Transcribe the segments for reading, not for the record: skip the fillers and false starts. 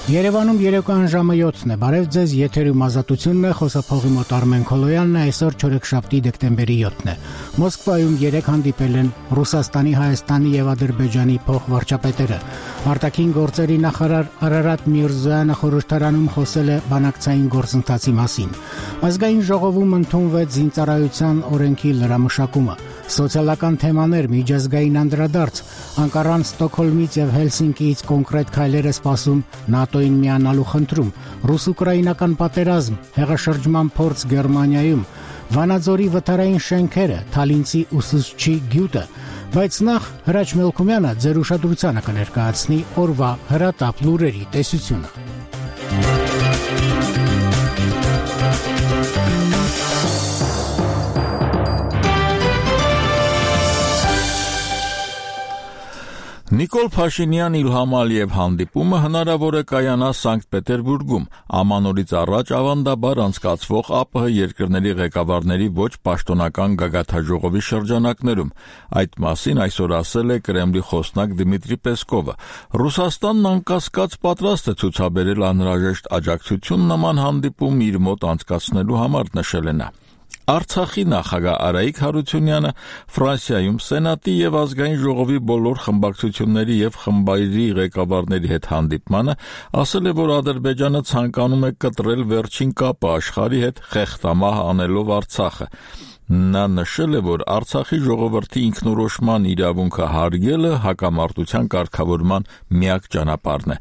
Երևանում երեկոյան ժամը 7-ն է, բարև ձեզ, եթերում ազատությունն է, խոսափողի մոտ Արմեն Քոլոյանն է, այսօր չորեքշաբթի դեկտեմբերի 7-ն է։ Մոսկվայում 3 հանդիպել են Ռուսաստանի, Հայաստանի եւ Ադրբեջանի փոխվարչապետերը։ Արտաքին գործերի նախարար Արարատ Միրզոյանը խորհրդարանում խոսել է բանակցային գործընթացի մասին։ Ազգային ժողովում ընդունվեց զինծառայության օրենքի լրամշակումը։ Սոցիալական թեմաներ, միջազգային անդրադարձ, Անկարան, Ստոկհոլմից եւ Հելսինկիից կոնկրետ քայլեր է սպասում ՆԱՏՕ-ին միանալու խնդրում, ռուս-ուկրաինական պատերազմ, հեղաշրջման փորձ Գերմանիայում, Վանաձորի վթարային շենքերը, Թալինցի ուսուցչի գյուտը, բայց նախ Հրաչ Մելքումյանը ձեր ուշադրությանը կներկայացնի օրվա հրատապ լուրերի տեսությունը։ Նիկոլ Փաշինյան Իլհամ Ալիև հանդիպումը հնարավոր է կայանա Սանկտ Պետերբուրգում, ամանորից առաջ ավանդաբար անցկացվող ԱՊՀ երկրների ղեկավարների ոչ պաշտոնական գագաթնաժողովի շրջանակներում։ Այդ մասին այսօր ասել է Կրեմլի խոսնակ Դմիտրի Պեսկովը։ Ռուսաստանն անկասկած պատրաստ է ցուցաբերել անհրաժեշտ աջակցություն նման հանդիպում իր մոտ անցկացնելու համար, նշել է նա։ Արցախի նախագահ Արայիկ Հարությունյանը Ֆրանսիայում Սենատի եւ ազգային ժողովի բոլոր խմբակցությունների եւ խմբայրի ղեկավարների հետ հանդիպմանը ասել է, որ Ադրբեջանը ցանկանում է կտրել վերջին կապը աշխարհի հետ խեղդամահ անելով Արցախը։ Նա նշել է, որ Արցախի ժողովրդի ինքնորոշման իրավունքը հարգելը հակամարտության կարգավորման միակ ճանապարհն է։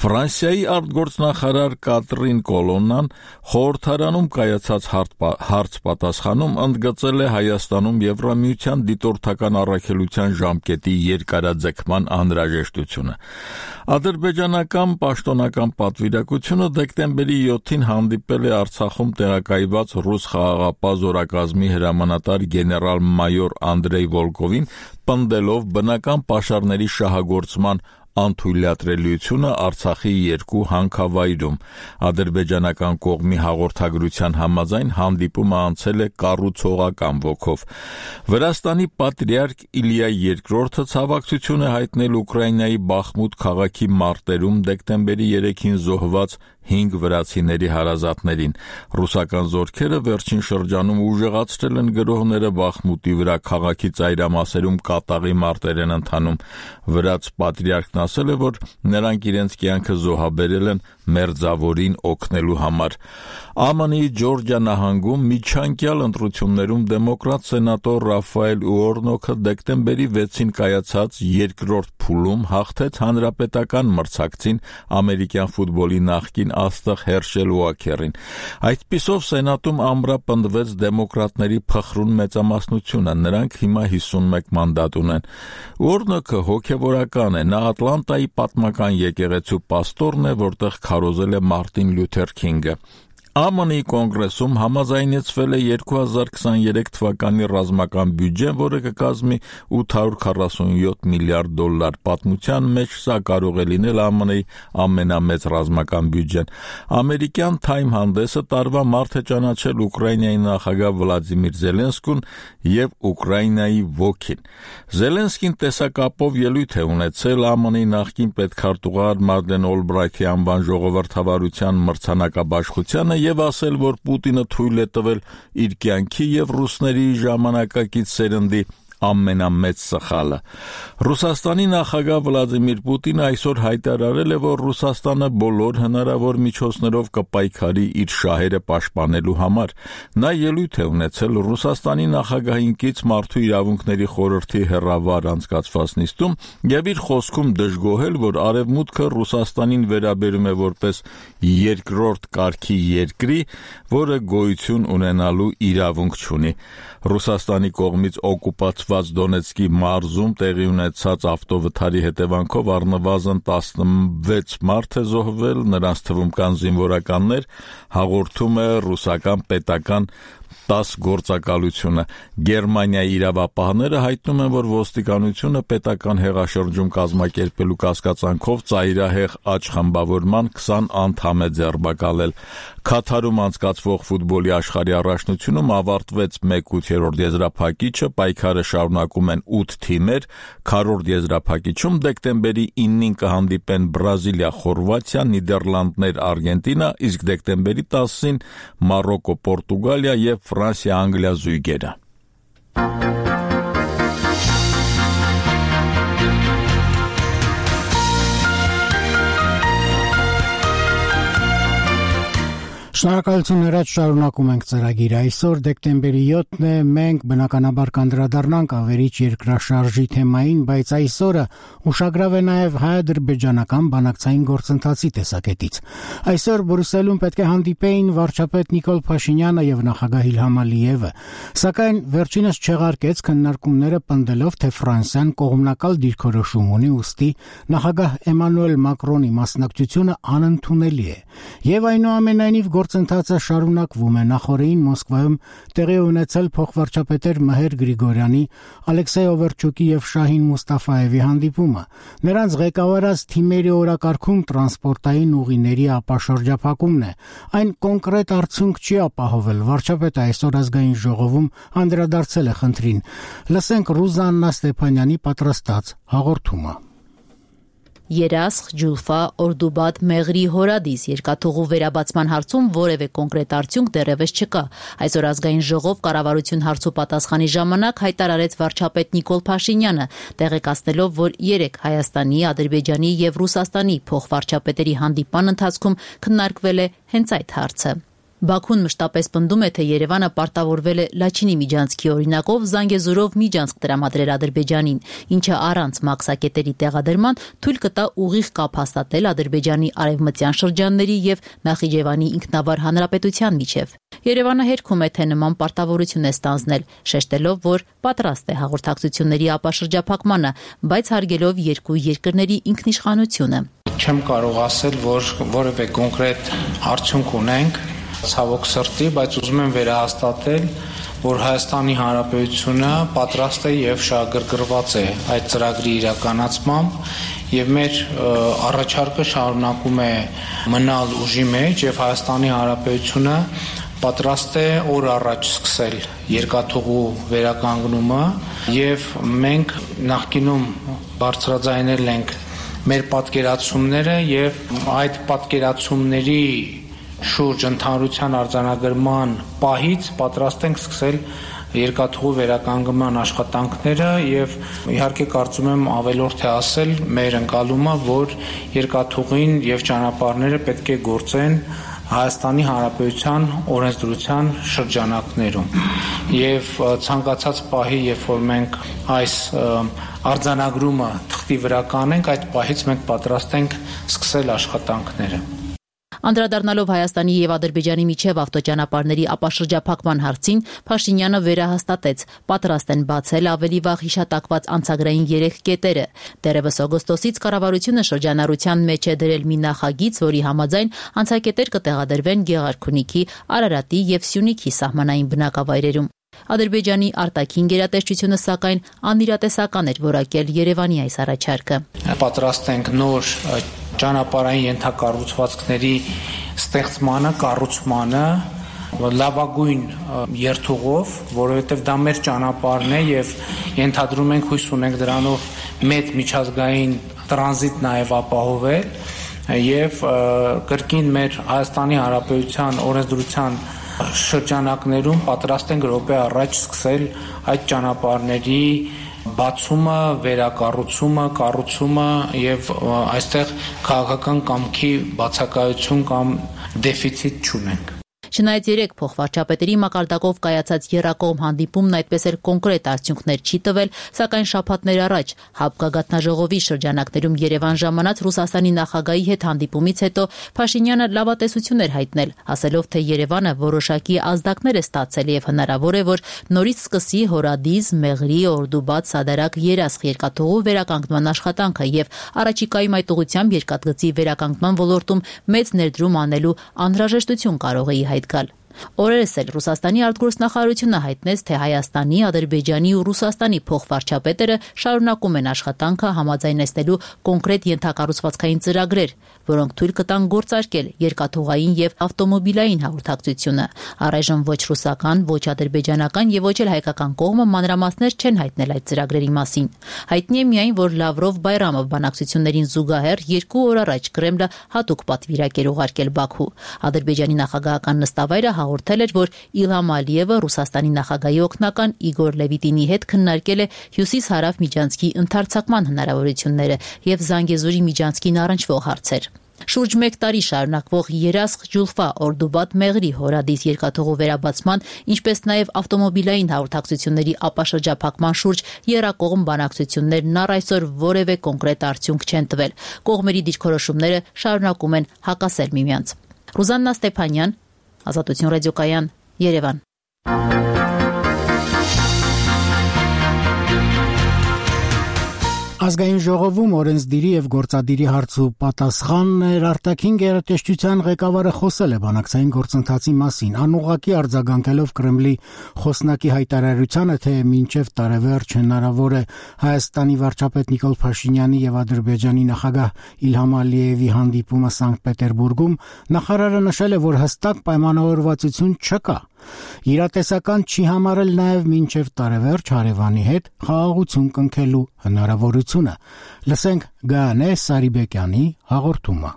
Ֆրանսիայի արտգործնախարար Կատրին Կոլոննան խորհրդարանում կայացած հարց պատասխանում ընդգծել է Հայաստանում Եվրամիության դիտորդական առաքելության ժամկետի երկարաձգման անհրաժեշտությունը։ Ադրբեջանական պաշտոնական պատվիրակությունը դեկտեմբերի 7-ին հանդիպել է Արցախում տեղակայված ռուս խաղաղապահ զորակազմի հրամանատար գեներալ-մայոր Անդրեյ Վոլկովին, պնդելով բնական պաշարների շահագործման անթույլատրելիությունը Արցախի երկու հանքավայրում։ Ադրբեջանական կողմի հաղորդագրության համաձայն հանդիպումը անցել է կառուցողական ոգով։ Վրաստանի պատրիարք Իլիա II ցավակցություն է հայտնել Ուկրաինայի Բախմուտ քաղաքի մարտերում դեկտեմբերի 3-ին զոհված 5 վրացիների հարազատներին։ Ռուսական զորքերը վերջին շրջանում ուժեղացրել են գրոհները Բախմուտի վրա, քաղաքի ծայրամասերում կատաղի մարտեր են ընթանում։ Վրաց պատրիարքն ասել է, որ նրանք իրենց կյանքը զոհաբերել են մերձավորին օգնելու համար։ ԱՄՆ-ի Ջորջիա նահանգում միջանկյալ ընտրություններում դեմոկրատ սենատոր Ռաֆայել Ուորնոքը դեկտեմբերի 6-ին կայացած երկրորդ փուլում հաղթեց հանրապետական մրցակցին ամերիկյան ֆուտբոլի նախկին աստղ Հերշել Ուոքերին։ Այդպիսով Սենատում ամրապնդվեց դեմոկրատների փխրուն մեծամասնությունը, նրանք հիմա 51 մանդատ ունեն։ Ուորնոքը հոգևորական է, նա Ատլանտայի պատմական եկեղեցու պաստորն է, որտեղ քարոզել է Մարտին Լյութեր Քինգը։ ԱՄՆ-ի կոնգրեսում համաձայնեցվել է 2023 թվականի ռազմական բյուջեն, որը կկազմի $847 միլիարդ։ Պատմության մեջ սա կարող է լինել ԱՄՆ-ի ամենամեծ ռազմական բյուջեն։ Ամերիկյան Time հանդեսը տարվա մարտ է ճանաչել Ուկրաինայի նախագահ Վլադիմիր Զելենսկուն եւ Ուկրաինայի ոգին։ Զելենսկին տեսակապով ելույթ է ունեցել ԱՄՆ-ի նախկին պետքարտուղար Մադլեն Օլբրայթի անվան ժողովրդավարության մրցանակաբաշխությանը եւ ասել, որ Պուտինը թույլ է տվել իր կյանքի եւ ռուսների ժամանակակից սերնդի ամենամեծ սխալը։ Ռուսաստանի նախագահ Վլադիմիր Պուտինը այսօր հայտարարել է, որ Ռուսաստանը բոլոր հնարավոր միջոցներով կպայքարի իր շահերը պաշտպանելու համար։ Նա ելույթ է ունեցել Ռուսաստանի նախագահին կից մարդու իրավունքների խորհրդի հեռավար անցկացված նիստում եւ իր խոսքում դժգոհել, որ Արևմուտքը Ռուսաստանին վերաբերում է որպես երկրորդ կարգի երկրի, որը գոյություն ունենալու իրավունք չունի։ Ռուսաստանի կողմից օկուպացված Դոնեցկի մարզում տեղի ունեցած ավտովթարի հետևանքով առնվազն 16 մարդ է զոհվել, նրանց թվում կան զինվորականներ, հաղորդում է ռուսական պետական 10 գործակալությունը։ Գերմանիայի իրավապահները հայտնում են, որ ոստիկանությունը պետական հեղաշրջում կազմակերպելու կասկածանքով ծայրահեղ աճ խմբավորման 20 անդամ է ձերբակալել։ Քաթարում անցկացվող ֆուտբոլի աշխարհի առաջնությունում ավարտվեց 1/8 եզրափակիչը, պայքարը շարունակում են 8 թիմեր, քառորդ եզրափակիչում դեկտեմբերի 9-ին կհանդիպեն Բրազիլիա, Խորվաթիա, Նիդերլանդներ, Արգենտինա, իսկ դեկտեմբերի 10-ին Մարոկո, Պորտուգալիա եւ Ֆրանսիա, Անգլիա զույգերը։ Շնորհակալություն հրաչ, շարունակում ենք ծրագիրը։ Այսօր դեկտեմբերի 7-ն է, մենք բնականաբար կանդրադառնանք ավերիչ երկրաշարժի թեմային, բայց այսօրը ուշագրավ է նաև հայ-ադրբեջանական բանակցային գործընթացի տեսակետից։ Այսօր Բրյուսելում պետք է հանդիպեին վարչապետ Նիկոլ Փաշինյանը եւ նախագահ Իլհամ Ալիևը, սակայն վերջինս չեղարկեց քննարկումները, պնդելով, թե Ֆրանսիան կողմնակալ դիրքորոշում ունի, ուստի նախագահ Էմանուել Մակրոնի մասնակցությունը անընդունելի է։ Եվ այնուամենայնիվ գործընթացը շարունակվում է։ Նախորդին Մոսկվայում տեղի ունեցել փոխվարչապետեր Մհեր Գրիգորյանի, Ալեքսեյ Օվերչուկի եւ Շահին Մուստաֆայևի հանդիպումը։ Նրանց ղեկավարած թիմերի օրակարգում տրանսպորտային ուղիների ապաշրջափակումն է։ Այն կոնկրետ արդյունք չի ապահովել։ Վարչապետը այսօր ազգային ժողովում անդրադարձել է խնդրին։ Լսենք Ռուզաննա Ստեփանյանի պատրաստած հաղորդումը։ Երասխ, Ջուլֆա, Օրդուբադ, Մեղրի, Հորադիս երկաթուղու վերաբացման հարցում որևէ կոնկրետ արդյունք դեռևս չկա։ Այսօր ազգային ժողով կառավարություն հարցու պատասխանի ժամանակ հայտարարեց վարչապետ Նիկոլ Փաշինյանը, տեղեկացնելով, որ երեկ Հայաստանի, Ադրբեջանի եւ Ռուսաստանի փոխվարչապետերի հանդիպման ընթացքում քննարկվել է հենց այդ հարցը։ Բաքուն մշտապես պնդում է, թե Երևանը պարտավորվել է Լաչինի միջանցքի օրինակով Զանգեզուրով միջանցք տրամադրել Ադրբեջանին, ինչը առանց մաքսակետերի տեղադրման թույլ կտա ուղիղ կապ հաստատել Ադրբեջանի արևմտյան շրջանների եւ Նախիջևանի ինքնավար հանրապետության միջև։ Երևանը հերքում է, թե նման պարտավորություն է ստանձնել, շեշտելով, որ պատրաստ է հաղորդակցությունների ապաշրջափակմանը, բայց հարգելով երկու երկրների ինքնիշխանությունը։ Չեմ կարող ասել, որ որևէ կոնկրետ արդյունք ունենք, ցավոք սրտի, բայց ուզում եմ վերահաստատել, որ Հայաստանի Հանրապետությունը պատրաստ է եւ շահագրգռված է այդ ծրագրի իրականացմամբ եւ մեր առաջարկը շարունակում է մնալ ուժի մեջ եւ Հայաստանի Հանրապետությունը պատրաստ է օր առաջ սկսել երկաթուղու վերականգնումը եւ մենք նախկինում բարձրաձայնել ենք մեր պատկերացումները եւ այդ պատկերացումների շուրջ ընդհանրության արձանագրման պահից պատրաստ ենք սկսել երկաթուղու վերականգնման աշխատանքները եւ իհարկե կարծում եմ ավելորդ է ասել մեր ընկալումը, որ երկաթուղին եւ ճանապարհները պետք է գործեն Հայաստանի Հանրապետության օրենսդրության շրջանակներում եւ ցանկացած պահի, երբ որ մենք այս արձանագրումը թղթի վրա կանենք, այդ պահից մենք պատրաստ ենք սկսել աշխատանքները։ Անդրադառնալով Հայաստանի եւ Ադրբեջանի միջև ավտոճանապարհների ապաշրջափակման հարցին, Փաշինյանը վերահաստատեց, պատրաստ են բացել ավելի վաղ հիշատակված անցագրային 3 կետերը։ Դեռևս օգոստոսից կառավարությունը շրջանառության մեջ է դրել մի նախագիծ, որի համաձայն անցակետեր կտեղադրվեն Գեղարքունիքի, Արարատի եւ Սյունիքի սահմանային բնակավայրերում։ Ադրբեջանի արտաքին գերատեսչությունը սակայն անիրատեսական էր որակել Երևանի այս առաջարկը։ Պատրաստ ենք նոր ճանապարհային ենթակառուցվածքների ստեղծմանը, կառուցմանը լավագույն երթուղով, որովհետև դա մեր ճանապարհն է եւ ենթադրում ենք, հույս ունենք դրանով մեծ միջազգային տրանզիտ նաեւ ապահովել եւ կրկին մեր Հայաստանի Հանրապետության օրենսդրության շրջանակներում պատրաստ ենք րոպե առաջ սկսել այդ ճանապարհների բացումը, վերակառուցումը, կառուցումը եւ այստեղ քաղաքական կամքի բացակայություն կամ դեֆիցիտ չունենք։ Չնայած երեք փոխվարչապետերի մակարդակով կայացած եռակողմ հանդիպումն այդպես էլ կոնկրետ արդյունքներ չի տվել, սակայն շաբաթներ առաջ ՀԱԲ գագաթնաժողովի շրջանակներում Երևան ժամանած Ռուսաստանի նախագահի հետ հանդիպումից հետո Փաշինյանը լավատեսություն էր հայտնել, ասելով, թե Երևանը որոշակի ազդակներ է ստացել եւ հնարավոր է, որ նորից սկսի Հորադիս, Մեղրի, Օրդուբադ, Սադարակ, Երասխ երկաթուղու վերականգնման աշխատանքը եւ առաջիկայում այդ ուղղությամբ երկաթգծի վերականգնման ոլորտում մեծ ներդրում անելու անհրաժեշտություն կարող է գալ։ Օրերս էլ Ռուսաստանի արտգործնախարարությունը հայտնեց, թե Հայաստանի, Ադրբեջանի ու Ռուսաստանի փոխվարչապետերը շարունակում են աշխատանքը համաձայնեցնելու կոնկրետ ենթակառուցվածքային ծրագրեր, որոնք թույլ կտան գործարկել երկաթուղային եւ ավտոմոբիլային հաղորդակցությունը։ Առայժմ ոչ ռուսական, ոչ ադրբեջանական եւ ոչ էլ հայկական կողմը մանրամասներ չեն հայտնել այդ ծրագրերի մասին։ Հայտնի է միայն, որ Լավրով-Բայրամով բանակցություններին զուգահեռ 2 օր առաջ Կրեմլը հատուկ պատվիրակ էր ուղարկել Բաքու։ Ադրբեջանի նախագահական նստավայրը հաղորդել էր, որ Իլհամ Ալիևը Ռուսաստանի նախագահի օգնական Իգոր Լևիտինի հետ քննարկել է հյուսիս-հարավ միջանցքի ընդարձակման հնարավորությունները եւ Զանգեզուրի միջանցքին առնչվող հարցեր։ Շուրջ 1 տարի շարունակվող Երասխ-Ջուլֆա Օրդուբադ-Մեղրի հորադիս երկաթուղու վերաբացման, ինչպես նաև ավտոմոբիլային հաղորդակցությունների ապաշրջափակման շուրջ եռակողմ բանակցություններն առ այսօր որևէ կոնկրետ արդյունք չեն տվել։ Կողմերի դիրքորոշումները շարունակում են հակասել միմյանց։ Ռուզաննա Ստեփանյան, Ազատություն ռադիոկայան, Երևան։ Ազգային ժողովում օրենսդիրի եւ գործադիրի հարցու պատասխաններ արտաքին գերատեսչության ղեկավարը խոսել է բանակցային գործընթացի մասին, անուղղակի արձագանքելով Կրեմլի խոսնակի հայտարարությանը, թե մինչև տարեվերջ հնարավոր է Հայաստանի վարչապետ Նիկոլ Փաշինյանի եւ Ադրբեջանի նախագահ Իլհամ Ալիևի հանդիպումը Սանկտ Պետերբուրգում, նախարարը նշել է, որ հստակ պայմանավորվածություն չկա։ Իրատեսական չի համարել նաև մինչև տարեվերջ հարևանի հետ խաղաղություն կնքելու հնարավորությունը։ Լսենք Գայանե Սարիբեկյանի հաղորդումը։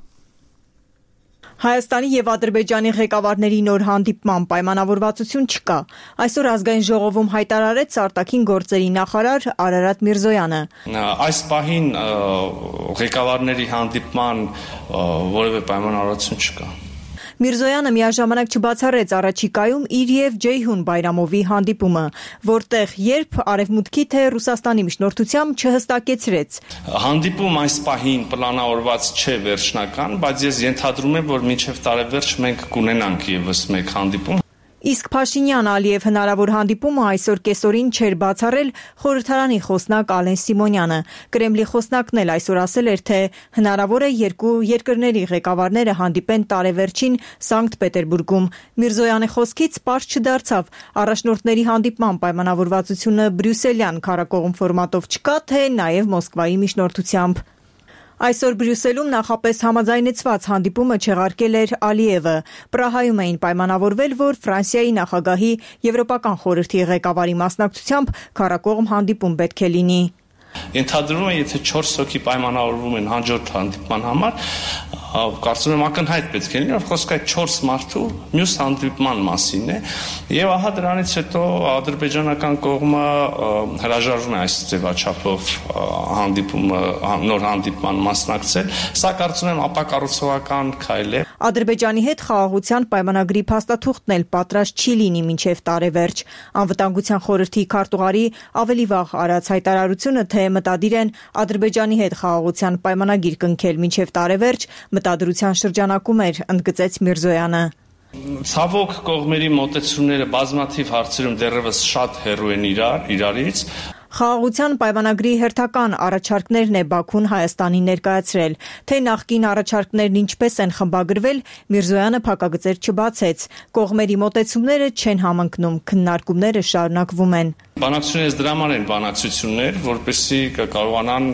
Հայաստանի եւ Ադրբեջանի ղեկավարների նոր հանդիպման պայմանավորվածություն չկա։ Այսօր ազգային ժողովում հայտարարեց արտաքին գործերի նախարար Արարատ Միրզոյանը։ Այս պահին ղեկավարների հանդիպման որևէ պայմանավորվածություն չկա։ Միրզոյանը միաժամանակ չբացառեց առաջիկայում իր եւ Ջեյհուն Բայրամովի հանդիպումը, որտեղ երբ Արևմուտքի թե Ռուսաստանի միջնորդությամբ չհստակեցրեց։ Հանդիպում այս պահին պլանավորված չէ վերջնական, բայց ես ենթադրում եմ, որ մինչև տարեվերջ մենք կունենանք եւս մեկ հանդիպում։ Իսկ Փաշինյան-Ալիև հնարավոր հանդիպումը այսօր կեսօրին չէր բացառել խորհրդարանի խոսնակ Ալեն Սիմոնյանը։ Կրեմլի խոսնակն էլ այսօր ասել էր, թե հնարավոր է երկու երկրների ղեկավարները հանդիպեն տարեվերջին Սանկտ Պետերբուրգում։ Միրզոյանի խոսքից պարզ չդարձավ առաջնորդների հանդիպման պայմանավորվածությունը բրյուսելյան քառակողմ ֆորմատով չկա, թե նաև Մոսկվայի միջնորդությամբ։ Այսօր Բրյուսելում նախապես համաձայնեցված հանդիպումը չեղարկել էր Ալիևը։ Պրահայում էին պայմանավորվել, որ Ֆրանսիայի նախագահի Եվրոպական խորհրդի ղեկավարի մասնակցությամբ քառակողմ հանդիպում պետք է լինի։ Ենթադրվում է, եթե 4 հոգի պայմանավորվում են հաջորդ հանդիպման համար, կարծում եմ ակնհայտ պետք է լինի, որ խոսքը 4 մարդու մյուս հանդիպման մասին է, եւ ահա դրանից հետո ադրբեջանական կողմը հրաժարվում է այս ձևաչափով նոր հանդիպման մասնակցել, սա կարծում եմ ապակառուցողական քայլ է։ Ադրբեջանի հետ խաղաղության պայմանագրի փաստաթուղթն էլ պատրաստ չի լինի մինչև տարեվերջ։ Անվտանգության խորհրդի քարտուղարի ավելի վաղ արած հայտարարությունը, թե մտադիր են Ադրբեջանի հետ խաղաղության պայմանագիր կնքել մինչև տարեվերջ, մտադրության շրջանակում էր, ընդգծեց Միրզոյանը։ Ցավոք կողմերի մոտեցումները բազմաթիվ հարցերում դեռևս շատ հեռու են իրարից։ Խաղաղության պայմանագրի հերթական առաջարկներն է Բաքուն Հայաստանին ներկայացրել, թե նախկին առաջարկներն ինչպես են խմբագրվել, Միրզոյանը փակագծեր չբացեց։ Կողմերի մոտեցումները չեն համընկնում, քննարկումները շարունակվում են։ Բանակցությունները դրա համար են բանակցություններ, որպեսզի կարողանան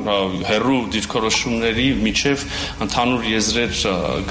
հեռու դիրքորոշումների միջև ընդհանուր եզրեր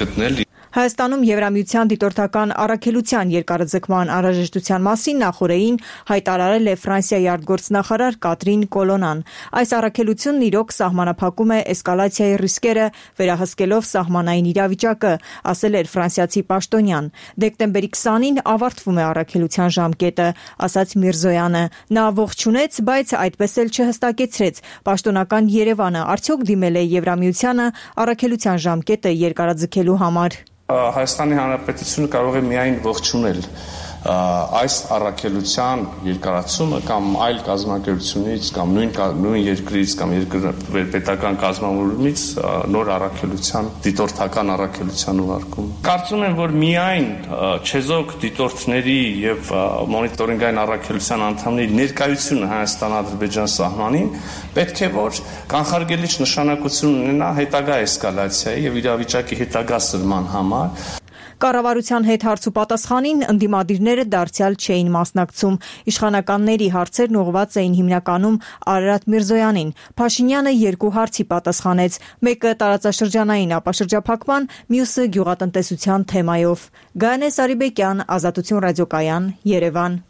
գտնել։ Հայաստանում Եվրամիության դիտորդական առաքելության երկարաձգման անհրաժեշտության մասին նախորդին հայտարարել է Ֆրանսիայի արտգործնախարար Կատրին Կոլոնան։ Այս առաքելությունն իրոք սահմանափակում է էսկալացիայի ռիսկերը, վերահսկելով սահմանային իրավիճակը, ասել էր ֆրանսիացի պաշտոնյան։ Դեկտեմբերի 20-ին ավարտվում է առաքելության ժամկետը, ասաց Միրզոյանը։ Նա ողջունեց, բայց այդպես էլ չհստակեցրեց։ Պաշտոնական Երևանը արդյոք դիմել է Եվրամիությանը առաքելության ժամկետը երկարաձգելու համար։ Հայաստանի Հանրապետությունը կարող է միայն ողջունել այս առաքելության երկարացումը կամ այլ կազմակերպությունից կամ նույն երկրից կամ պետական կազմավորումից նոր առաքելության, դիտորդական առաքելության ուղարկումը։ Կարծում եմ, որ միայն չեզոք դիտորդների եւ մոնիտորինգային առաքելության անդամների ներկայությունը Հայաստան-Ադրբեջան սահմանին պետք է որ կանխարգելիչ նշանակություն ունենա հետագա էսկալացիայի եւ իրավիճակի հետագա սրման համար։ Կառավարության հետ հարցուպատասխանին ընդդիմադիրները դարձյալ չէին մասնակցում։ Իշխանականների հարցերն ուղղված էին հիմնականում Արարատ Միրզոյանին։ Փաշինյանը 2 հարցի պատասխանեց, մեկը տարածաշրջանային ապաշրջափակման, մյուսը գյուղատնտեսության թեմայով։ Գայանե Սարիբեկյան, Ազատություն ռադիոկայան, Երևան։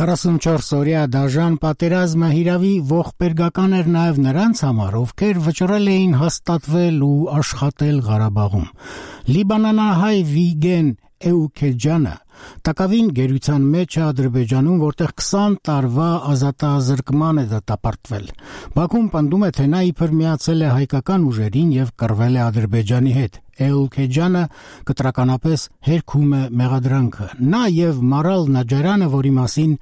Օրյա դաժան պատերազմը հիրավի ողբերգական էր նաև նրանց համար, ովքեր վճռել էին հաստատվել ու աշխատել Ղարաբաղում։ Լիբանանահայ Վիգեն Էուքեջյանը տակավին գերության մեջ է Ադրբեջանում, որտեղ 20 տարվա ազատազրկման է դատապարտվել։ Բաքուն պնդում է, թե նա իբր միացել է հայկական ուժերին եւ կռվել է Ադրբեջանի հետ։ Էուքեջյանը կտրականապես հերքում է մեղադրանքը։ Նա եւ Մարալ Նաջարյանը, որի մասին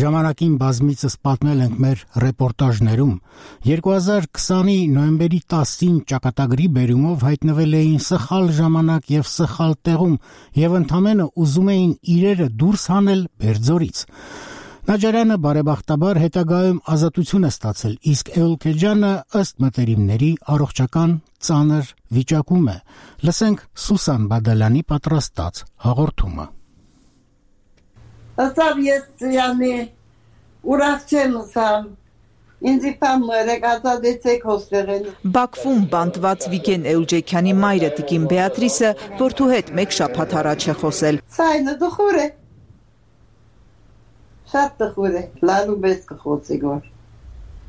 ժամանակին բազմիցս պատմել ենք մեր ռեպորտաժներում, 2020-ի նոյեմբերի 10-ին ճակատագրի բերումով հայտնվել էին սխալ ժամանակ եւ սխալ տեղում եւ ընդամենը ուզում էին իրերը դուրս հանել Բերձորից։ Նաջարյանը բարեբախտաբար հետագայում ազատություն է ստացել, իսկ Էուքեջյանը ըստ մտերիմների առողջական ծանր վիճակում է։ Լսենք Սուսան Բադալյանի պատրաստած հաղորդումը։ Ասավ ես ծյանի ուրախ չեմ ասամ։ Ինձի պամերեք ազատեցեք հոստեղեն։ Բաքվում բանտված Վիգեն Էուջեքյանի մայրը տիկին Բեատրիսը որդու հետ մեկ շաբաթ առաջ է խոսել։ Ցայնը դխուր է։ Շատ դխուր է, լալու բես կխոցի գոր։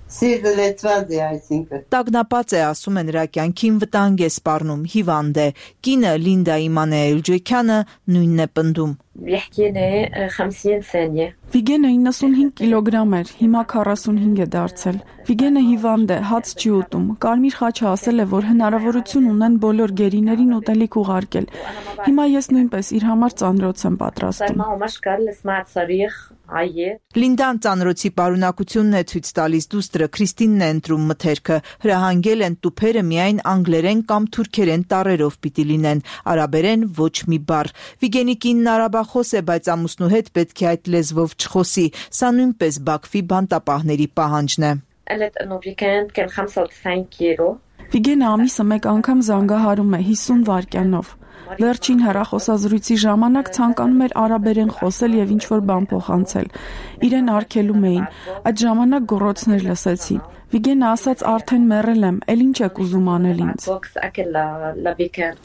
Սիրտը լեցված է այսինքն։ Տագնապած է, ասում է, նրա կյանքին վտանգ է սպառնում, հիվանդ է։ Կինը Լինդա Իմանե Էուջեքյանը նույնն է պնդում։ Վիգենը 95 կիլոգրամ էր, հիմա 45 է դարձել։ Վիգենը հիվանդ է, հաց չի ուտում։ Կարմիր խաչը ասել է, որ հնարավորություն ունեն բոլոր գերիներին ուտելիք ուղարկել։ Հիմա ես նույնպես իր համար ծանրոց եմ պատրաստում։ Լինդան ծանրոցի պարունակությունն է ցույց տալիս, դուստրը Քրիստինն է ընտրում մթերքը։ Հրահանգել են տուփերը միայն անգլերեն կամ թուրքերեն տառերով պիտի լինեն, արաբերեն ոչ մի բառ։ Վիգենի կինն արաբախոս է, բայց ամուսնու հետ պետք է այդ լեզվով չխոսի։ Սա նույնպես Բաքվի բանտապահների պահանջն է։ Վիգենը ամիսը մեկ անգամ զանգահարում է 50 վայրկյանով։ Վերջին հեռախոսազրույցի ժամանակ ցանկանում էր արաբերեն խոսել եւ ինչ-որ բան փոխանցել։ Իրեն արգելում էին։ Այդ ժամանակ գոռոցներ լսեցի։ Վիգենը ասաց արդեն մեռել եմ, էլ ինչ եք ուզում անել ինձ։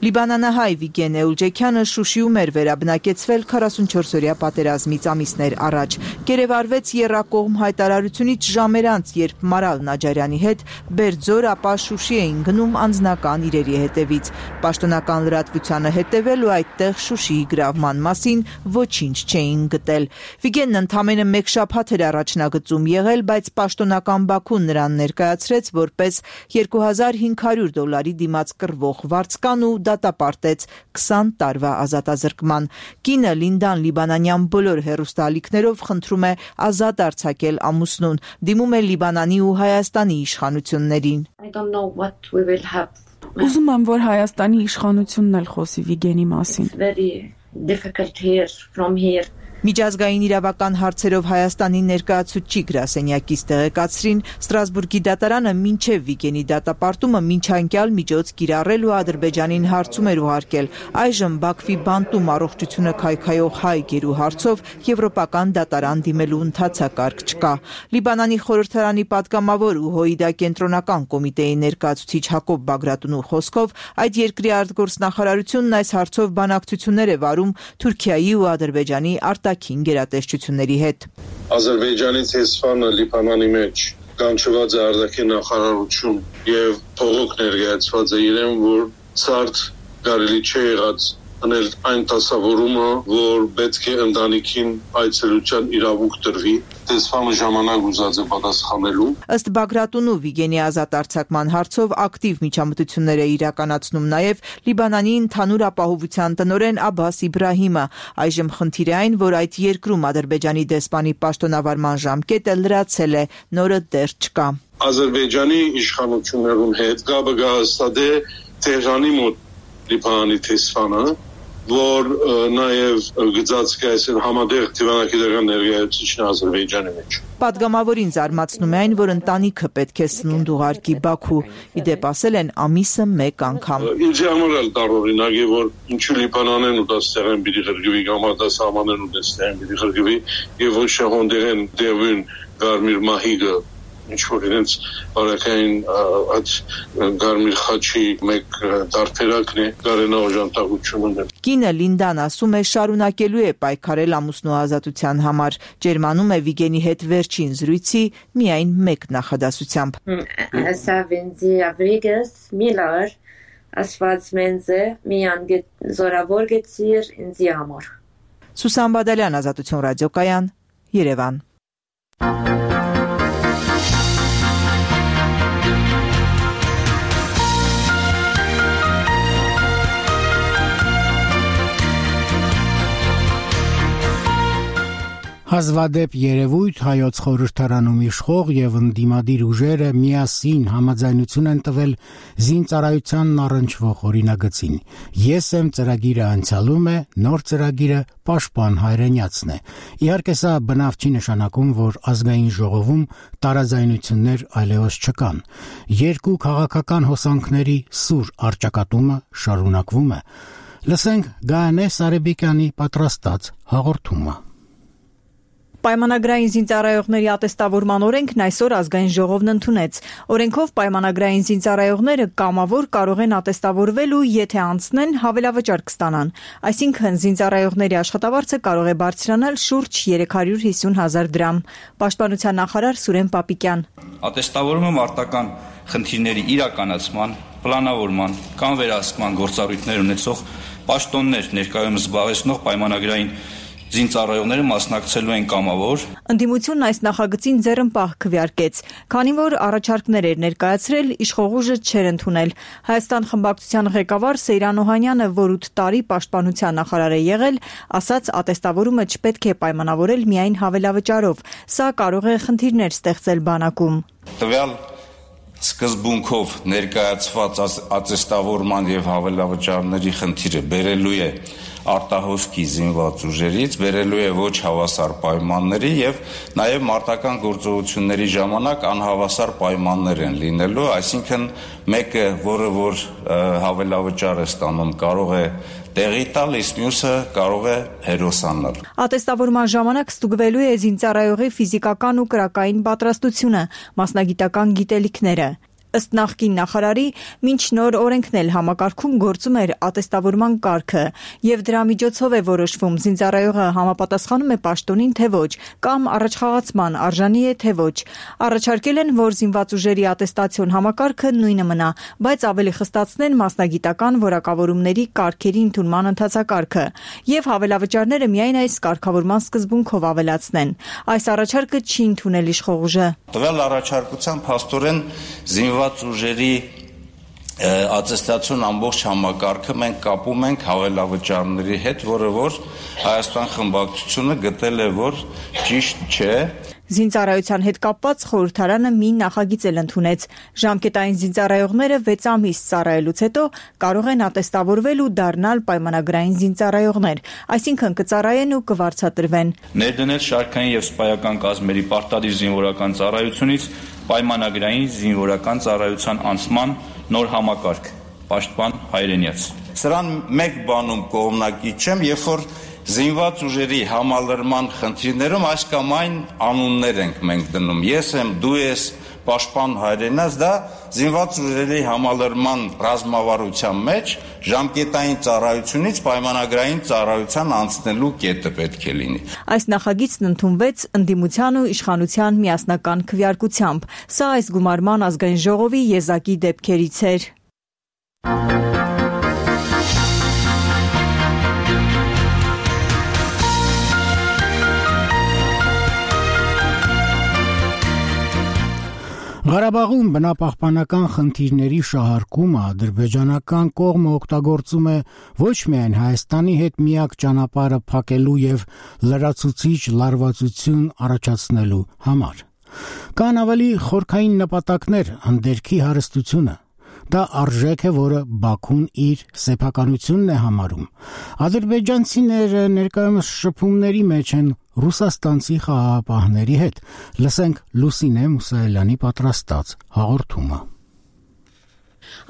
Լիբանանահայ Վիգեն Էուջեքյանը Շուշիում էր վերաբնակեցվել 44-օրյա պատերազմից ամիսներ առաջ։ Գերեվարվեց եռակողմ հայտարարությունից ժամեր անց, երբ Մարալ Նաջարյանի հետ Բերձոր, ապա Շուշի էին գնում անձնական իրերի հետևից։ Պաշտոնական լրատվությանը հետևել ու այդտեղ Շուշիի գրավման մասին ոչինչ չէին գտել։ Վիգենն ընդամենը մեկ շաբաթ էր առաջնագծում եղել, բայց պաշտոնական Բաքուն նրան ներկայացրեց որպես $2500 դիմաց կռվող վարձկան ու դատապարտեց 20 տարվա ազատազրկման։ Կինը Լինդան լիբանանյան բոլոր հեռուստաալիքներով խնդրում է ազատ արձակել ամուսնուն, դիմում է Լիբանանի ու Հայաստանի իշխանություններին։ Ուզում եմ, որ Հայաստանի իշխանությունն էլ խոսի Վիգենի մասին։ Միջազգային իրավական հարցերով Հայաստանի ներկայացուցիչ գրասենյակից տեղեկացրին, Ստրասբուրգի դատարանը մինչև Վիգենի դատապարտումը մինչանկյալ միջոց կիրառել ու Ադրբեջանին հարցում էր ուղարկել։ Այժմ Բաքվի բանտում առողջությունը քայքայող հայ գերու հարցով եվրոպական դատարան դիմելու ընթացակարգ չկա։ Լիբանանի խորհրդարանի պատգամավոր ու ՀՕԻԴ կենտրոնական կոմիտեի ներկայացուցիչ Հակոբ Բագրատունու խոսքով այդ երկրի արտգործնախարարությունն այս հարցով բանակցություններ է վարում Թուրքիայի ու Ադրբեջանի արտաքին գերատեսչությունների հետ։ Ադրբեջանի տեսփանը Լիբանանի մեջ կանչված է արտաքին նախարարություն եւ փողոք ներկայացված է իրեն, որ ցարտ կարելի չէ եղած անել այն դասավորումը, որ պետք է ընտանիքին այցելության իրավունք տրվի, տեսփանը ժամանակ ուզած է պատասխանելու։ Ըստ Բագրատունու Վիգենի ազատ արձակման հարցով ակտիվ միջամտություններ է իրականացնում նաև Լիբանանի ընդհանուր ապահովության տնօրեն Աբբաս Իբրահիմը։ Այժմ խնդիր է այն, որ այդ երկրում Ադրբեջանի դեսպանի պաշտոնավարման ժամկետը լրացել է, նորը դեռ չկա։ Ադրբեջանի իշխանություններուն հետ գաբը գահստադե Տեհրանի մոտ Լիբանանի տեսփանը, որ նաև գծած կայսեր համադեղ դիվանագիտական ներկայացուցիչն Ադրբեջանի մեջ։ Պատգամավորին զարմացնում է այն, որ ընտանիքը պետք է սնունդ ուղարկի Բաքու, իդեպ ասել են ամիսը մեկ անգամ։ Ինձ համար էլ տարօրինակ է, որ ինչու Լիբանանեն ու դաստեղեն պիտի ղրգվի, կամ արտասահմանեն ու դաստեղեն պիտի ղրգվի, եւ ոչ շահոնդեղեն դևուն Գարմիր Մահիգը, ինչ որ իրենց բարակային այդ Գարմիր խաչի մեկ դարբերակն է, Գարենա օժանդակությունը։ Կինը Լինդան ասում է շարունակելու է պայքարել ամուսնու ազատության համար, ջերմանում է Վիգենի հետ վերջին զրույցի միայն մեկ նախադասությամբ։ Ասա վենձի ավրիգս միլար ասված մենձը միան զորավոր գեցիր ինձի համար։ Սուսան Բադալյան, Ազատություն ռադիոկայան, Երևան։ Հազվադեպ երևույթ հայոց խորհրդարանում իշխող եւ ընդդիմադիր ուժերը միասին համաձայնություն են տվել զինծառայությանն առնչվող օրինագծին։ Ես եմ ծրագիրը անցյալում է, նոր ծրագիրը պաշտպան հայրենյացն է։ Իհարկե սա բնավ չի նշանակում, որ ազգային ժողովում տարաձայնություններ այլևս չկան։ Երկու քաղաքական հոսանքների սուր առճակատումը շարունակվում է։ Լսենք Գայանե Սարեբեկյանի պատրաստած հաղորդումը։ Պայմանագրային զինծառայողների ատեստավորման օրենքն այսօր ազգային ժողովն ընդունեց։ Օրենքով պայմանագրային զինծառայողները կամավոր կարող են ատեստավորվել ու եթե անցնեն, հավելավճար կստանան։ Այսինքն զինծառայողների աշխատավարձը կարող է բարձրանալ շուրջ 350,000 դրամ։ Պաշտպանության նախարար Սուրեն Պապիկյան։ Ատեստավորումը մարտական խնդիրների իրականացման, պլանավորման կամ վերահսկման գործառույթներ ունեցող պաշտոններ ներկայումս զբաղեցնող պայմանագրային զինծառայողները մասնակցելու են կամավոր։ Ընդդիմությունն այս նախագծին ձեռնպահ քվեարկեց, քանի որ առաջարկներ էր ներկայացրել, իշխող ուժը չէր ընդունել։ Հայաստան խմբակցության ղեկավար Սեյրան Օհանյանը, որ 8 տարի պաշտպանության նախարար է եղել, ասաց ատեստավորումը չպետք է պայմանավորել միայն հավելավճարով, սա կարող է խնդիրներ ստեղծել բանակում։ Տվյալ սկզբունքով ներկայացված ատեստավորման եւ հավելավճարների խնդիրը բերելու է արտահոսքի զինված ուժերից, բերելու է ոչ հավասար պայմանների եւ նաեւ մարտական գործողությունների ժամանակ անհավասար պայմաններ են լինելու, այսինքն մեկը, որ հավելավճար է ստանում, կարող է տեղի տալ, իսկ մյուսը կարող է հերոսանալ։ Ատեստավորման ժամանակ ստուգվելու է զինծառայողի ֆիզիկական ու կրակային պատրաստությունը, մասնագիտական գիտելիքները։ Ըստ նախկին նախարարի, մինչ նոր օրենքն էլ համակարգում գործում էր ատեստավորման կարգը, եւ դրա միջոցով է որոշվում զինծառայողը համապատասխանում է պաշտոնին թե ոչ, կամ առաջխաղացման արժանի է թե ոչ։ Առաջարկել են, որ զինված ուժերի ատեստացիոն համակարգը նույնը մնա, բայց ավելի խստացնեն մասնագիտական որակավորումների կարգերի ընդունման ընթացակարգը եւ հավելավճարները միայն այս կարգավորման սկզբունքով ավելացնեն։ Այս առաջարկը չի ընդունել իշխող ուժը։ Տվյալ առաջարկության փաստորեն զինված ուժերի ատեստացիոն ամբողջ համակարգը մենք կապում ենք հավելավճարների հետ, որը որ Հայաստան խմբակցությունը գտել է, որ ճիշտ չէ։ Զինծառայության հետ կապված խորհրդարանը մի նախագիծ էլ ընդունեց։ Ժամկետային զինծառայողները 6 ամիս ծառայելուց հետո կարող են ատեստավորվել ու դառնալ պայմանագրային զինծառայողներ, այսինքն կծառայեն ու կվարձատրվեն։ Ներդնել շարքային եւ սպայական կազմերի պարտադիր զինվորական ծառայությունից պայմանագրային զինվորական ծառայության անցման նոր համակարգ, պաշտպան հայրենյաց։ Սրան մեկ բանում կողմնակի չեմ, երբ որ զինված ուժերի համալրման խնդիրներում այս կամ այն անուններ ենք մենք դնում։ Ես եմ, դու ես, պաշտպան հայրենաց, դա զինված ուժերի համալրման ռազմավարության մեջ ժամկետային ծառայությունից պայմանագրային ծառայության անցնելու կետը պետք է լինի։ Այս նախագիծն ընդունվեց ընդդիմության ու իշխանության միասնական քվեարկությամբ։ Սա այս գումարման ազգային ժողովի եզակի դեպքերից էր։ Ղարաբաղում բնապահպանական խնդիրների շահարկումը ադրբեջանական կողմը օգտագործում է ոչ միայն Հայաստանի հետ միակ ճանապարհը փակելու եւ լրացուցիչ լարվածություն առաջացնելու համար։ Կան ավելի խորքային նպատակներ, հանդերքի հարստությունը։ Դա արժեք է, որը Բաքուն իր սեփականությունն է համարում։ Ադրբեջանցիները ներկայումս շփումների մեջ են ռուսաստանցի խաղաղապահների հետ։ Լսենք Լուսինե Մուսայելյանի պատրաստած հաղորդումը։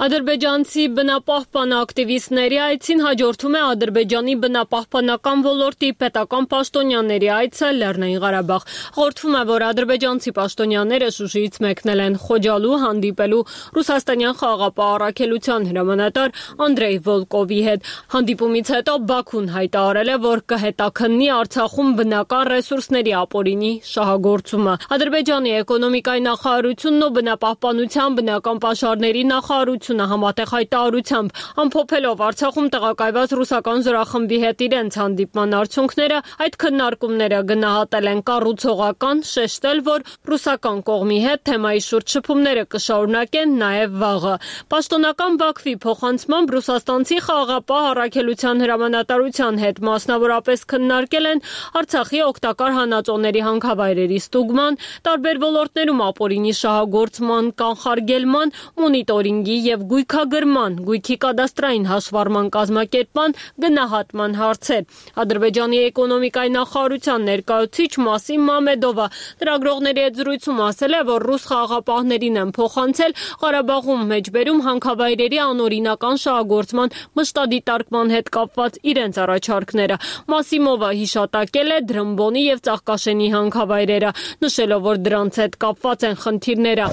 Ադրբեջանցի բնապահպան ակտիվիստների այցին հաջորդում է Ադրբեջանի բնապահպանական ոլորտի պետական պաշտոնյաների այցը Լեռնային Ղարաբաղ։ Հաղորդվում է, որ ադրբեջանցի պաշտոնյաները Շուշիից մեկնել են Խոջալու հանդիպելու ռուսաստանյան խաղաղապահ առաքելության հրամանատար Անդրեյ Վոլկովի հետ։ Հանդիպումից հետո Բաքուն հայտարարել է, որ կհետաքննի Արցախում բնական ռեսուրսների ապօրինի շահագործումը։ Ադրբեջանի էկոնոմիկայի նախարարությունն ու բնապահպանության բնական պաշարների նախարարությունը համատեղ հայտարարությամբ ամփոփելով Արցախում տեղակայված ռուսական զորախմբի հետ իրենց հանդիպման արդյունքները, այդ քննարկումները գնահատել են կառուցողական, շեշտել, որ ռուսական կողմի հետ թեմայի շուրջ շփումները կշարունակեն նաև վաղը։ Պաշտոնական Բաքվի փոխանցմամբ ռուսաստանցի խաղաղապահ առաքելության հրամանատարության հետ մասնավորապես քննարկել են Արցախի օգտակար հանածոների հանքավայրերի ստուգման, տարբեր ոլորտներում ապօրինի շահագործման, կանխարգելման, մոնիտորինգի եւ գույքագրման, գույքի կադաստրային հաշվառման կազմակերպման, գնահատման հարցեր։ Ադրբեջանի էկոնոմիկայի նախարարության ներկայացուցիչ Մասիմ Մամեդովը լրագրողների հետ զրույցում ասել է, որ ռուս խաղաղապահներին են փոխանցել Ղարաբաղում մեջբերում հանքավայրերի անօրինական շահագործման մշտադիտարկման հետ կապված իրենց առաջարկները։ Մասիմովը հիշատակել է Դրամբոնի եւ Ծաղկաշենի հանքավայրերը, նշելով, որ դրանց հետ կապված են խնդիրները։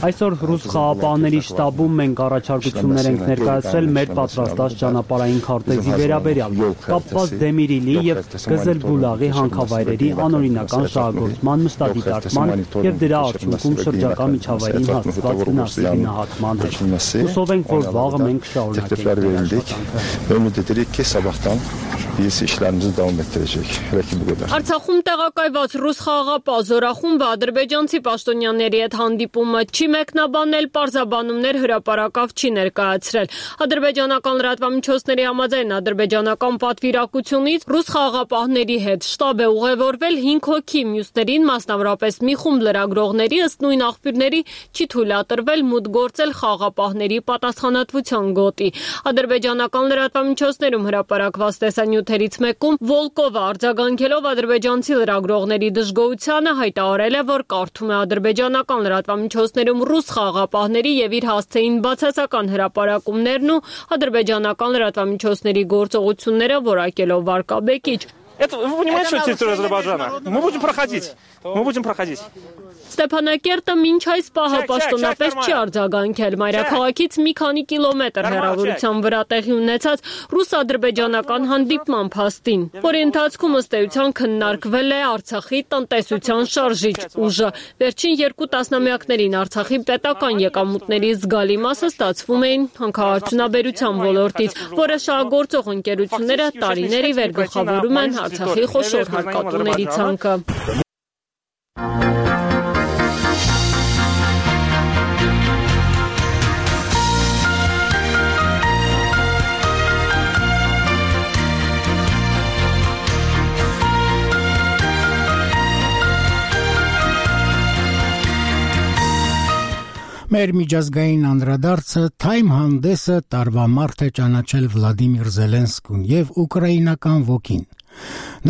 Այսօր ռուս խաղաղապահների շտաբում մենք առաջարկություններ ենք ներկայացրել մեր պատրաստած ճանապարհային քարտեզի վերաբերյալ, կապված Դեմիրիլի եւ Գզելբուլաղի հանքավայրերի անօրինական շահագործման մշտադիտարկման եւ դրա արդյունքում շրջակա միջավայրին հասցված վնասների նահատման հետ։ Հուսով ենք, որ վաղը մենք կշարունակենք։ Արցախում տեղակայված ռուս խաղաղապահ զորախումբը ադրբեջանցի պաշտոնյաների հետ հանդիպումը չի մեկնաբանել, պարզաբանումներ հրապարակավ չի ներկայացրել։ Ադրբեջանական լրատվամիջոցների համաձայն ադրբեջանական պատվիրակությունից ռուս խաղաղապահների հետ շտաբ է ուղևորվել 5 հոգի, մյուսներին, մասնավորապես մի խումբ լրագրողների, ըստ նույն աղբյուրների, չի թույլատրվել մուտք գործել խաղաղապահների պատասխանատվության գոտի։ Ադրբեջանական լրատվամիջոցներում հրապարակված տեսանյութերից մեկում Վոլկովը արձագանքելով ադրբեջանցի լրագրողների դժգոհությանը հայտարարել է, որ կարդում է ադրբեջանական լրատվամիջոցներում ռուս խաղաղապահների եւ իր հասցեին բացասական հրապարակումներն ու ադրբեջանական լրատվամիջոցների գործողությունները որակելով վարկաբեկիչ։ Это вы понимаете, что территория Азербайджана? Мы будем проходить. Ստեփանակերտը մինչ այս պահը պաշտոնապես չի արձագանքել մայրաքաղաքից մի քանի կիլոմետր հեռավորության վրա տեղի ունեցած ռուս-ադրբեջանական հանդիպման փաստին, որի ընթացքում ըստ էության քննարկվել է Արցախի տնտեսության շարժիչ ուժը։ Վերջին 2 տասնամյակներին Արցախի պետական եկամուտների զգալի մասը ստացվում էին հանքարդյունաբերության ոլորտից, որը շահագործող ընկերությունները տարիների վեր գլխավորում են Արցախի խոշոր հարկատուների ցանկը։ Մեր միջազգային անդրադարձը Time հանդեսը տարվա մարտ է ճանաչել Վլադիմիր Զելենսկուն եւ ուկրաինական ոգին։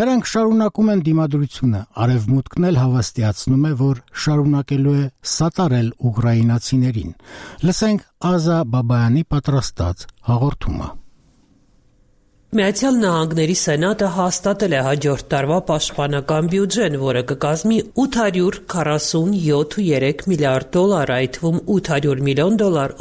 Նրանք շարունակում են դիմադրությունը, արևմուտքն էլ հավաստիացնում է, որ շարունակելու է սատարել ուկրաինացիներին։ Լսենք Ազա Բաբայանի պատրաստած հաղորդումը։ Միացյալ Նահանգների Սենատը հաստատել է հաջորդ տարվա պաշտպանական բյուջեն, որը կկազմի $847.3 միլիարդ, այդ թվում $800 միլիոն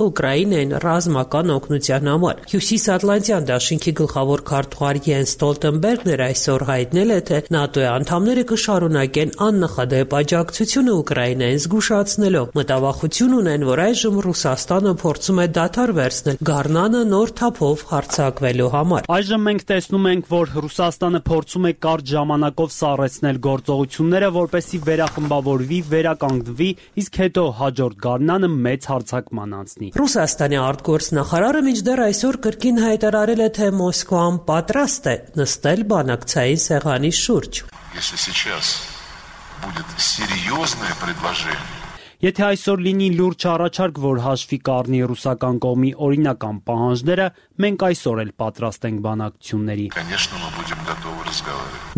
Ուկրաինային ռազմական օգնության համար։ Հյուսիսատլանտյան դաշինքի գլխավոր քարտուղար Յենս Ստոլտենբերգն այսօր հայտնել է, թե ՆԱՏՕ-ի անդամները կշարունակեն աննախադեպ աջակցությունը Ուկրաինային զգուշացնելով։ Մտավախություն ունեն, որ այժմ Ռուսաստանը փորձում է դադար վերցնել գարնանը նոր թափով հարձակվելու համար։ Այժմ մենք տեսնում ենք, որ Ռուսաստանը փորձում է կարճ ժամանակով սառեցնել գործողությունները, որպեսզի վերախմբավորվի, վերականգնվի, իսկ հետո հաջորդ գարնանը մեծ հարձակման անցնի։ Ռուսաստանի արտգործնախարարը մինչդեռ այսօր կրկին հայտարարել է, թե Մոսկվան պատրաստ է նստել բանակցային սեղանի շուրջ։ Եթե այսօր լինի լուրջ առաջարկ, որ հաշվի կառնի ռուսական կողմի օրինական պահանջները, մենք այսօր էլ պատրաստ ենք բանակցությունների։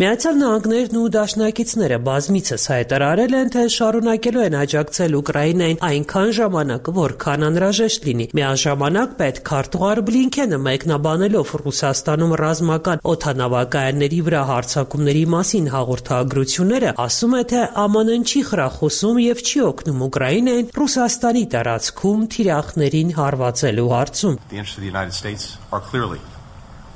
Միացյալ Նահանգներն ու դաշնակիցները բազմիցս հայտարարել են, թե շարունակելու են աջակցել Ուկրաինային այնքան ժամանակ, որքան անհրաժեշտ լինի։ Միաժամանակ պետքարտուղար Բլինքենը մեկնաբանելով Ռուսաստանում ռազմական օդանավակայանների վրա հարձակումների մասին հաղորդագրությունները, ասում է, թե ԱՄՆ-ն չի խրախուսում եւ չի օգնում Ուկրաինային Ռուսաստանի տարածքում թիրախներին հարվածելու հարցում։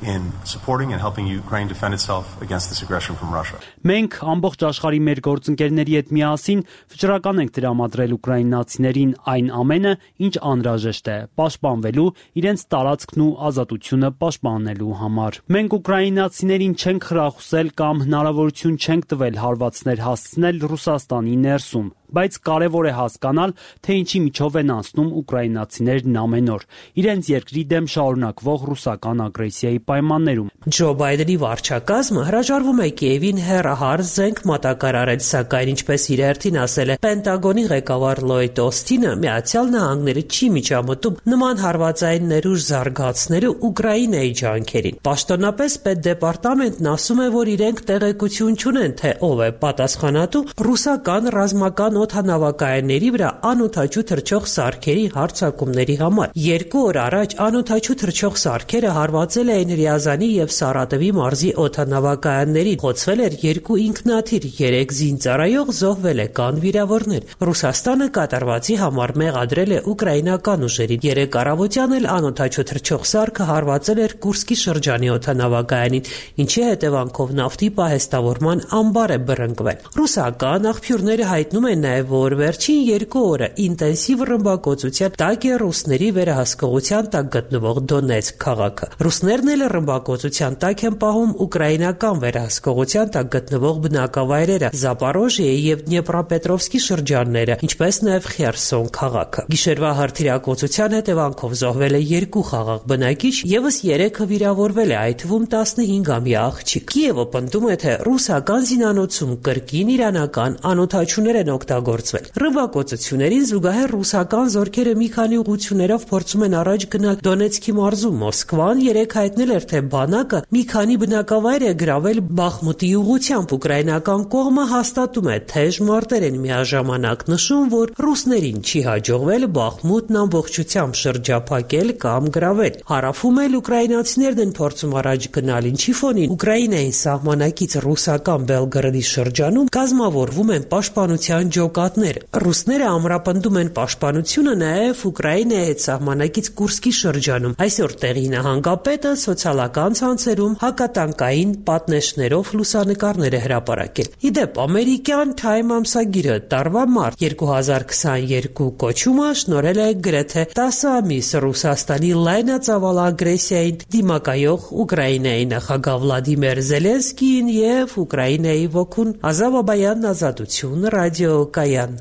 In supporting and helping Ukraine defend itself against this aggression from Russia. Մենք ամբողջ աշխարհի մեր գործընկերների հետ միասին վճռական ենք տրամադրել ուկրաինացիներին այն ամենը, ինչ անհրաժեշտ է, պաշտպանվելու, իրենց տարածքն ու ազատությունը պաշտպանելու համար։ Մենք ուկրաինացիներին չենք խրախուսել կամ հնարավորություն չենք տվել հարվածներ հասցնել Ռուսաստանի ներսում, բայց կարևոր է հասկանալ, թե ինչի միջով են անցնում ուկրաինացիներն ամեն օր, իրենց երկրի դեմ շարունակվող ռուսական ագրեսիայի պայմաններում։ Ջո Բայդենի վարչակազմը հրաժարվում է Կիևին հեռահար զենք մատակարարել, սակայն ինչպես իր հերթին ասել է Պենտագոնի ղեկավար Լոյդ Օստինը, Միացյալ Նահանգները չի միջամտում նման հարվածային ներուժ զարգացնելու Ուկրաինայի ջանքերին։ Պաշտոնապես պետդեպարտամենտն ասում է, որ իրենք տեղեկություն չունեն, թե ով է պատասխանատու ռուսական ռազմական օդանավակայանների վրա անօդաչու թռչող սարքերի հարձակումների համար։ 2 օր առաջ անօդաչու թռչող սարքերը հարվածել էին Ռիազանի եւ Սարատովի մարզի օդանավակայաններին, խոցվել էր 2 ինքնաթիռ, 3 զինծառայող զոհվել է, կան վիրավորներ։ Ռուսաստանը կատարվածի համար մեղադրել է ուկրաինական ուժերին։ 3 առավոտյան էլ անօդաչու թռչող սարքը հարվածել էր Կուրսկի շրջանի օդանավակայանին, ինչի հետևանքով նավթի պահեստավորման ամբար է բռնկվել։ Ռուսական աղբյուրները հայտնում են նաև, որ վերջին 2 օրը ինտենսիվ ռմբակոծության տակ է ռուսների վերահսկողության տակ գտնվող Դոնեցկ քաղաքը։ Ռուսներն էլ ռմբակոծության տակ են պահում ուկրաինական վերահսկողության տակ գտնվող բնակավայրերը Զապորոժիեի եւ Դնեպրոպետրովսկի շրջանները, ինչպես նաև Խերսոն քաղաքը։ Գիշերվա հրթիռակոծության հետևանքով զոհվել է 2 խաղաղ բնակիչ, եւս 3-ը վիրավորվել է, այդ թվում 15-ամյա աղջիկ։ Կիևը պնդում է, թե ռուսական զինանոցում կրկին իրանական անօդաչուներ են օգտագործվել։ Ռմբակոծություններին զուգահեռ ռուսական զորքերը մի քանի ուղղություններով փորձում են առաջ գնալ Դոնեցկի մարզում։ Մոսկվան 3 հայտնել էր, թե բանակը մի քանի բնակավայր է գրավել Բախմուտի ուղղությամբ։ Ուկրաինական կողմը հաստատում է թեժ մարտեր են, միաժամանակ նշում, որ ռուսներին չի հաջողվել Բախմուտն ամբողջությամբ շրջափակել կամ գրավել։ Հարավում էլ ուկրաինացիներն են փորձում առաջ գնալ, ինչի ֆոնին Ուկրաինային սահմանակից ռուսական Բելգրադի շրջանում կազմավորվում են պաշտպանության ջոկատներ։ Ռուսները ամրապնդում են պաշտպանությունը նաև Ուկրաինայի հետ սահմանակից Կուրսկի շրջանում։ Այսօր տեղի նահանգապետը սոցիալական ցանցերում հակատանկային պատնեշներով լուսանկարներ է հրապարակել։ Իդեպ ամերիկյան Time ամսագիրը տարվա մարտ 2022 կոչումը շնորհել է գրեթե 10 ամիս Ռուսաստանի լայնածավալ ագրեսիային դիմակայող Ուկրաինայի նախագահ Վլադիմիր Զելենսկիին եւ Ուկրաինայի ոգուն։ Ազավ Աբայան, Ազատություն, ռադիոկայան։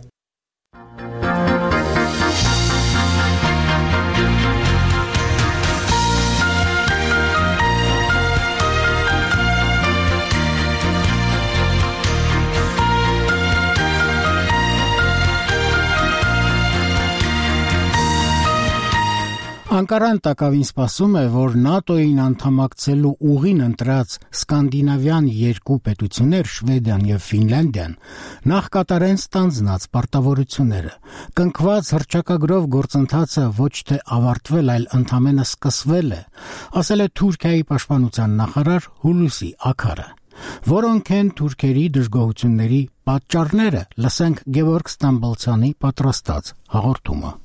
Անկարան տակավին սպասում է, որ ՆԱՏՕ-ին անդամակցելու ուղին ընտրած սկանդինավյան 2 պետություններ Շվեդիան եւ Ֆինլանդիան նախ կատարեն ստանձնած պարտավորությունները։ Կնքված հռչակագրով գործընթացը ոչ թե ավարտվել, այլ ընդամենը սկսվել է, ասել է Թուրքիայի պաշտպանության նախարար Հուլուսի Աքարը։ Որոնք են թուրքերի դժգոհությունների պատճառները, լսենք Գևորգ Ստամբոլցյանի պատրաստած հաղորդումը։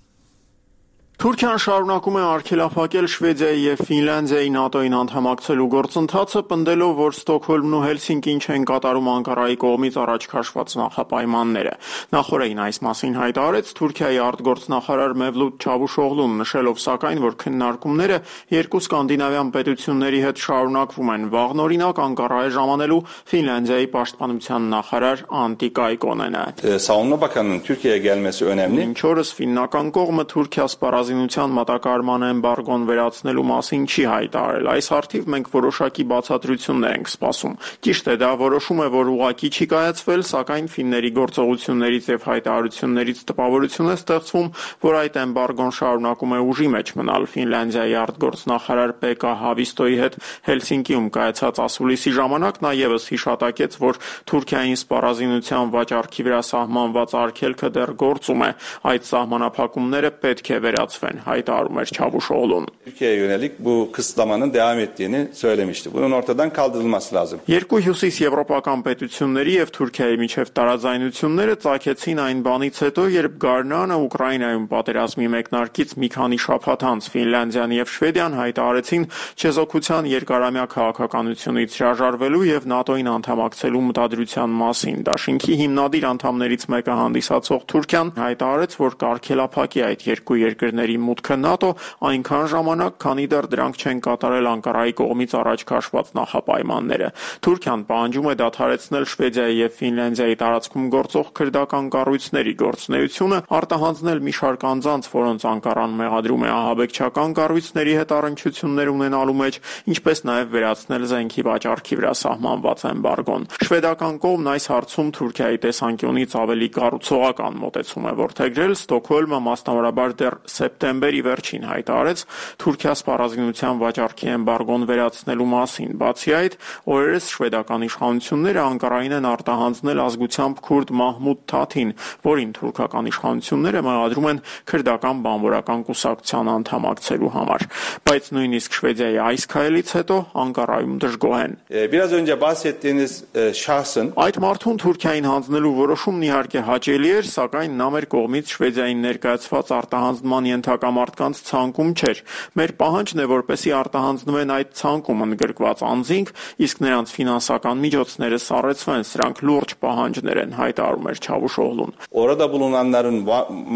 Թուրքիան շարունակում է արգելափակել Շվեդիայի եւ Ֆինլանդիայի ՆԱՏՕ-ին անդամակցելու գործընթացը, պնդելով, որ Ստոկհոլմն ու Հելսինկին չեն կատարում Անկարայի կողմից առաջ քաշված նախապայմանները։ Նախորդին այս մասին հայտարարեց Թուրքիայի արտգործնախարար Մևլութ Չավուշօղլուն, նշելով սակայն, որ քննարկումները երկու սկանդինավյան պետությունների հետ շարունակվում են։ Վաղն օրինակ Անկարա է ժամանելու Ֆինլանդիայի պաշտպանության նախարար Անտի Կայկոնենը։ Savunma Bakanı'nın Türkiye'ye gelmesi önemli. Մինչ օրս ֆիննական կողմը Թուրքիա սպառազինության մատակարարման էմբարգոն վերացնելու մասին չի հայտարարել։ Այս հարթիվ մենք որոշակի բացատրություններ ենք սպասում։ Ճիշտ է, դա որոշում է, որ ուղղակի չի կայացվել, սակայն ֆինների գործողություններից եւ հայտարարություններից տպավորություն է ստեղծվում, որ այդ էմբարգոն շարունակում է ուժի մեջ մնալ։ Ֆինլանդիայի արտգործնախարար Պեկա Հավիստոյի հետ Հելսինկիում կայացած ասուլիսի ժամանակ նա եւս հիշատակեց, որ Թուրքիային սպառազինության վաճառքի վրա սահմանված արգելքը դեռ գործում է։ Այդ սահմանափակումները պետք է վերացվեն, հայտարարում էր Չավուշօղլուն։ Türkiye'ye yönelik bu kısıtlamanın devam ettiğini söylemişti. Bunun ortadan kaldırılması lazım. Երկու հյուսիս եվրոպական պետությունների եւ Թուրքիայի միջև տարաձայնությունները ծագեցին այն բանից հետո, երբ Գարնանը Ուկրաինայում պատերազմի մեկնարկից մի քանի շաբաթ անց Ֆինլանդիան եւ Շվեդիան հայտարարեցին չեզոքության երկարամյա քաղաքականությունից հրաժարվելու եւ ՆԱՏՕ-ին անդամակցելու մտադրության մասին։ Դաշինքի հիմնադիր անդամներից մեկը հանդիսացող Թուրքիան հայտարարեց, որ կարգելափակի այդ երկու երկրների մուտքը ՆԱՏՕ այնքան ժամանակ, քանի դեռ դրանք չեն կատարել Անկարայի կողմից առաջ քաշված նախապայմանները։ Թուրքիան պահանջում է դադարեցնել Շվեդիայի եւ Ֆինլանդիայի տարածքում գործող քրդական կառույցների գործունեությունը, արտահանձնել մի շարք անձանց, որոնց Անկարան մեղադրում է ահաբեկչական կառույցների հետ առնչություններ ունենալու մեջ, ինչպես նաեւ վերացնել զենքի վաճառքի վրա սահմանված էմբարգոն։ Շվեդական կողմն այս հարցում Թուրքիայի տեսանկյունից ավելի կառուցողական մոտեցում է որդեգրել։ Ստոկհոլմը մասնավորաբար դեռ սեպտեմբերի վերջին հայտարարեց Թուրքիա սպառազինության վաճառքի էմբարգոն վերացնելու մասին։ Բացի այդ, օրերս շվեդական իշխանությունները Անկարային են արտահանձնել ազգությամբ քուրդ Մահմուդ Թաթին, որին թուրքական իշխանությունները մեղադրում են քրդական բանվորական կուսակցության անդամակցելու համար։ Բայց նույնիսկ Շվեդիայի այս քայլից հետո Անկարայում դժգոհ են։ Biraz önce bahsettiğiniz şahsın այդ մարդուն Թուրքիային հանձնելու որոշումն իհարկե հաճելի էր, սակայն նա մեր կողմից Շվեդիային ներկայացված արտահանձնման ենթակա մարդկանց ցանկում չէր։ Մեր պահանջն է, որպեսզի արտահանձնվեն այդ ցանկում ընդգրկված անձինք, իսկ նրանց ֆինանսական միջոցները սառեցվեն, սրանք լուրջ պահանջներ են, հայտարարում էր Չավուշօղլուն։ Orada bulunanların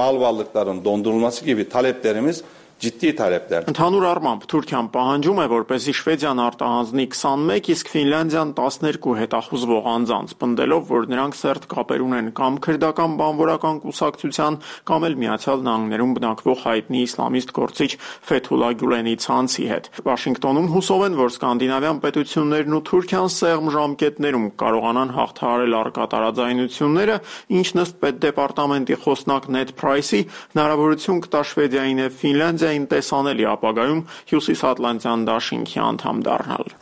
mal varlıklarının dondurulması gibi taleplerimiz ciddi talepler. Ընդհանուր առմամբ Թուրքիան պահանջում է, որպեսզի Շվեդիան արտահանձնի 21, իսկ Ֆինլանդիան 12 հետախուզվող անձանց, պնդելով, որ նրանք սերտ կապեր ունեն կամ քրդական բանվորական կուսակցության, կամ էլ Միացյալ Նահանգներում բնակվող հայտնի իսլամիստ գործիչ Ֆեթուլա Գյուլենի ցանցի հետ։ Վաշինգտոնում հուսով են, որ սկանդինավյան պետություններն ու Թուրքիան սեղմ ժամկետներում կարողանան հաղթահարել առկա տարաձայնությունները, ինչն ըստ պետդեպարտամենտի խոսնակ Նեդ Փրայսի հնարավորություն կտա Շվեդիային եւ Ֆինլանդիային տեսանելի ապագայում Հյուսիսատլանտյան դաշինքի անդամ դառնալ։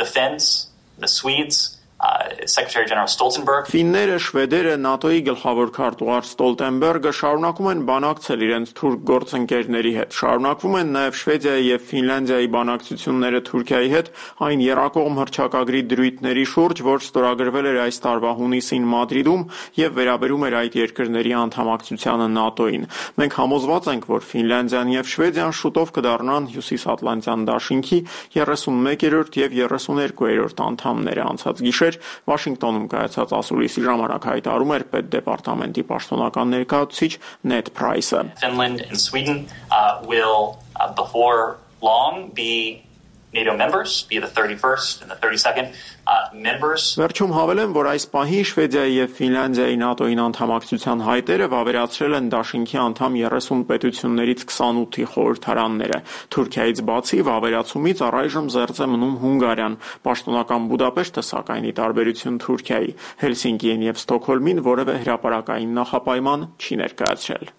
The Swedes, Secretary General Stoltenberg. Ֆինները, շվեդերը, ՆԱՏՕ-ի գլխավոր քարտուղար Ստոլտենբերգը շարունակում են բանակցել իրենց թուրք գործընկերների հետ։ Շարունակվում են նաև Շվեդիայի եւ Ֆինլանդիայի բանակցությունները Թուրքիայի հետ այն երակողմ հռչակագրի դրույթների շուրջ, որ ստորագրվել էր այս տարվա հունիսին Մադրիդում եւ վերաբերում էր այդ երկրների անդամակցությանը ՆԱՏՕ-ին։ Մենք համոզված ենք, որ Ֆինլանդիան եւ Շվեդիան շուտով կդառնան Հյուսիսատլանտյան դաշինքի 31-րդ եւ 32-րդ անդամները։ Անցած գիշեր Վաշինգտոնում կայացած ասուլիսի ժամանակ հայտարարում էր պետդեպարտամենտի պաշտոնական ներկայացուցիչ Նեդ Փրայսը։ Finland and Sweden will before long be NATO members, be the 31st and the 32nd members. Վերջում հավելեմ, որ այս պահին Շվեդիայի եւ Ֆինլանդիայի ՆԱՏՕ-ին անդամակցության հայտերը վավերացրել են դաշինքի անդամ 30 պետություններից 28-ի խորհրդարանները։ Թուրքիայից բացի վավերացումից առայժմ զերծ է մնում Հունգարիան, պաշտոնական Բուդապեշտը սակայն ի տարբերություն Թուրքիայի Հելսինկիին եւ Ստոկհոլմին որևէ հրապարակային նախապայման չի ներկայացրել։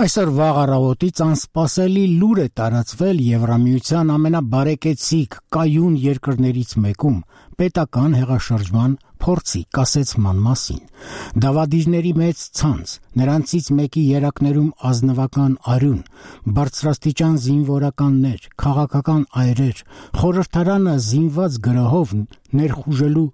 Այսօր վաղ առավոտից անսպասելի լուր է տարածվել Եվրամիության ամենաբարեկեցիկ կայուն երկրներից մեկում պետական հեղաշրջման փորձի կասեցման մասին։ Դավադիրների մեծ ցանց, նրանցից մեկի երակներում ազնվական արյուն, բարձրաստիճան զինվորականներ, քաղաքական այրեր, խորհրդարանը զինված գրոհով ներխուժելու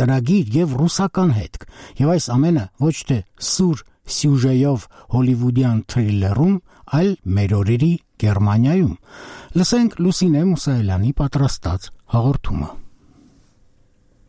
ծրագիր եւ ռուսական հետք, եւ այս ամենը ոչ թե սուր սյուժեով հոլիվուդյան թրիլերում, այլ մեր օրերի Գերմանիայում։ Լսենք Լուսինե Մուսայելյանի պատրաստած հաղորդումը։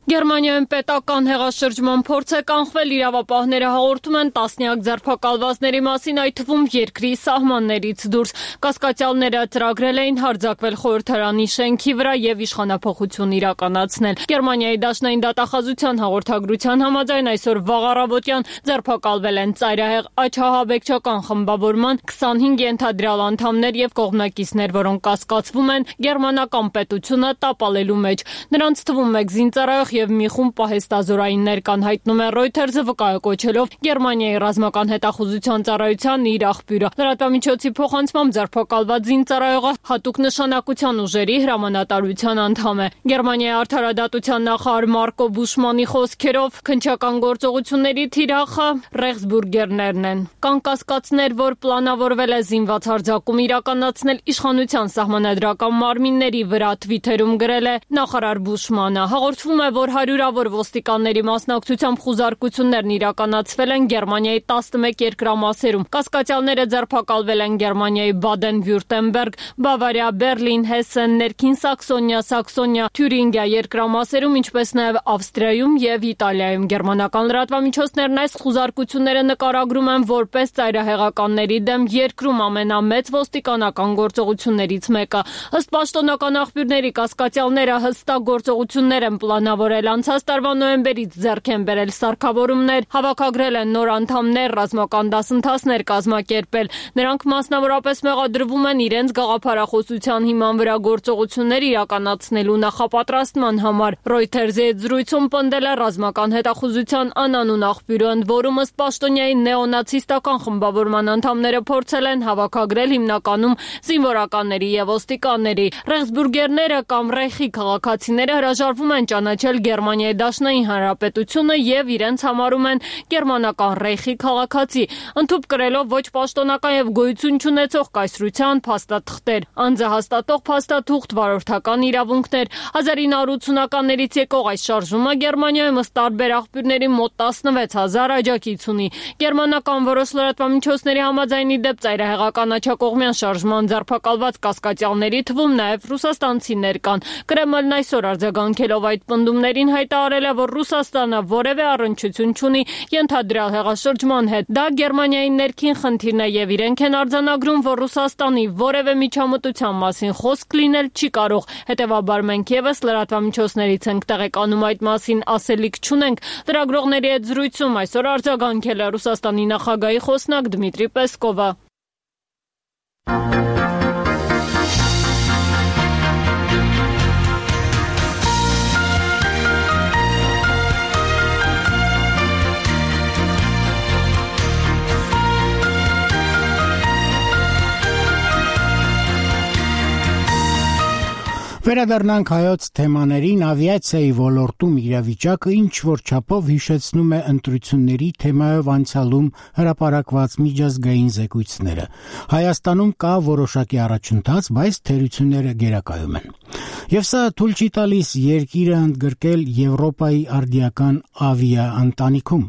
Գերմանիայում պետական հեղաշրջման փորձ է կանխվել, իրավապահները հաղորդում են տասնյակ ձերբակալվածների մասին, այդ թվում երկրի սահմաններից դուրս։ Կասկածյալները ծրագրել էին հարձակվել խորհրդարանի շենքի վրա եւ իշխանափոխություն իրականացնել։ Գերմանիայի դաշնային դատախազության հաղորդագրության համաձայն այսօր վաղ առավոտյան ձերբակալվել են ծայրահեղ աչահաբեկչական խմբավորման 25 ենթադրյալ անդամներ եւ կողմնակիցներ, որոնք կասկածվում են գերմանական պետությունը տապալելու մեջ։ Նրանց թվում մեկ զինծառայող եւ մի խումբ պահեստազորայիններ կան, հայտնում է Reuters-ը վկայակոչելով Գերմանիայի ռազմական հետախուզության ծառայության իր աղբյուրը։ Լրատվամիջոցի փոխանցմամբ ձերբակալված զինծառայողը հատուկ նշանակության ուժերի հրամանատարության անդամ է։ Գերմանիայի արդարադատության նախարար Մարկո Բուշմանի խոսքերով քննչական գործողությունների թիրախը Ռեխսբուրգերներն են։ Կան կասկածներ, որ պլանավորվել է զինված հարձակում իրականացնել իշխանության սահմանադրական մարմինների վրա, Twitter-ում գրել է նախարար Բուշմանը։ Հաղորդվում է, որ հարյուրավոր ոստիկանների մասնակցությամբ խուզարկություններն իրականացվել են Գերմանիայի 11 երկրամասերում։ Կասկածյալները ձերբակալվել են Գերմանիայի Բադեն-Վյուրտեմբերգ, Բավարիա, Բերլին, Հեսեն, Ներքին Սաքսոնիա, Թյուրինգիա երկրամասերում, ինչպես նաև Ավստրիայում եւ Իտալիայում։ Գերմանական լրատվամիջոցներն այս խուզարկությունները նկարագրում են որպես ծայրահեղականների դեմ երկրում ամենամեծ ոստիկանական գործողություններից մեկը։ Ըստ պաշտոնական աղբյուրների, կասկածյալները հստակ գործողություններ են պլանավորել անցած տարվա նոյեմբերից ձեռք են բերել սարքավորումներ, հավաքագրել են նոր անդամներ, ռազմական դասընթացներ կազմակերպել։ Նրանք մասնավորապես մեղադրվում են իրենց գաղափարախոսության հիման վրա գործողություններ իրականացնելու նախապատրաստման համար։ Reuters-ի հետ զրույցում պնդել է ռազմական հետախուզության անանուն աղբյուրը, ընդ որում ըստ պաշտոնյայի նեոնացիստական խմբավորման անդամները փորձել են հավաքագրել հիմնականում զինվորականների եւ ոստիկանների։ Ռեխսբուրգերները կամ Ռեխի քաղաքացիները հրաժարվում են ճանաչել Գերմանիայի Դաշնային Հանրապետությունը եւ իրենց համարում են գերմանական Ռեխի քաղաքացի, ընդհուպ կրելով ոչ պաշտոնական եւ գոյություն չունեցող կայսրության փաստաթղթեր, անձը հաստատող փաստաթուղթ, վարորդական իրավունքներ։ 1980-ականներից եկող այս շարժումը Գերմանիայում ըստ տարբեր աղբյուրների մոտ 16000 աջակից ունի։ Գերմանական որոշ լրատվամիջոցների համաձայն ի դեպ ծայրահեղական աջակողմյան շարժման ձերբակալված կասկածյալների թվում նաեւ ռուսաստանցիներ կան։ Կրեմլն այսօր արձագանքելով այդ պնդումներին հայտարարել է, որ Ռուսաստանը որևէ առնչություն չունի ենթադրյալ հեղաշրջման հետ։ Դա Գերմանիայի ներքին խնդիրն է եւ իրենք են արձանագրում, որ Ռուսաստանի որևէ միջամտության մասին խոսք լինել չի կարող։ Հետևաբար մենք եւս լրատվամիջոցներից ենք տեղեկանում այդ մասին, ասելիք չունենք։ Լրագրողների հետ զրույցում այսօր արձագանքել է Ռուսաստանի նախագահի խոսնակ Դմիտրի Պեսկովը։ Վերադառնանք հայոց թեմաներին, ավիացիայի ոլորտում իրավիճակը ինչ որ չափով հիշեցնում է ընտրությունների թեմայով անցյալում հրապարակված միջազգային զեկույցները։ Հայաստանում կա որոշակի առաջընթաց, բայց թերությունները գերակայում են։ Եվ սա թույլ չի տալիս երկիրը ընդգրկել Եվրոպայի արդիական ավիաընտանիքում։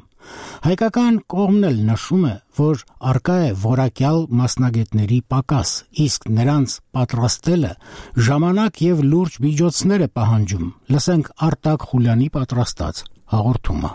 Հայկական կողմն էլ նշում է, որ առկա է որակյալ մասնագետների պակաս, իսկ նրանց պատրաստելը ժամանակ եւ լուրջ միջոցներ է պահանջում։ Լսենք Արտակ Խուլյանի պատրաստած հաղորդումը։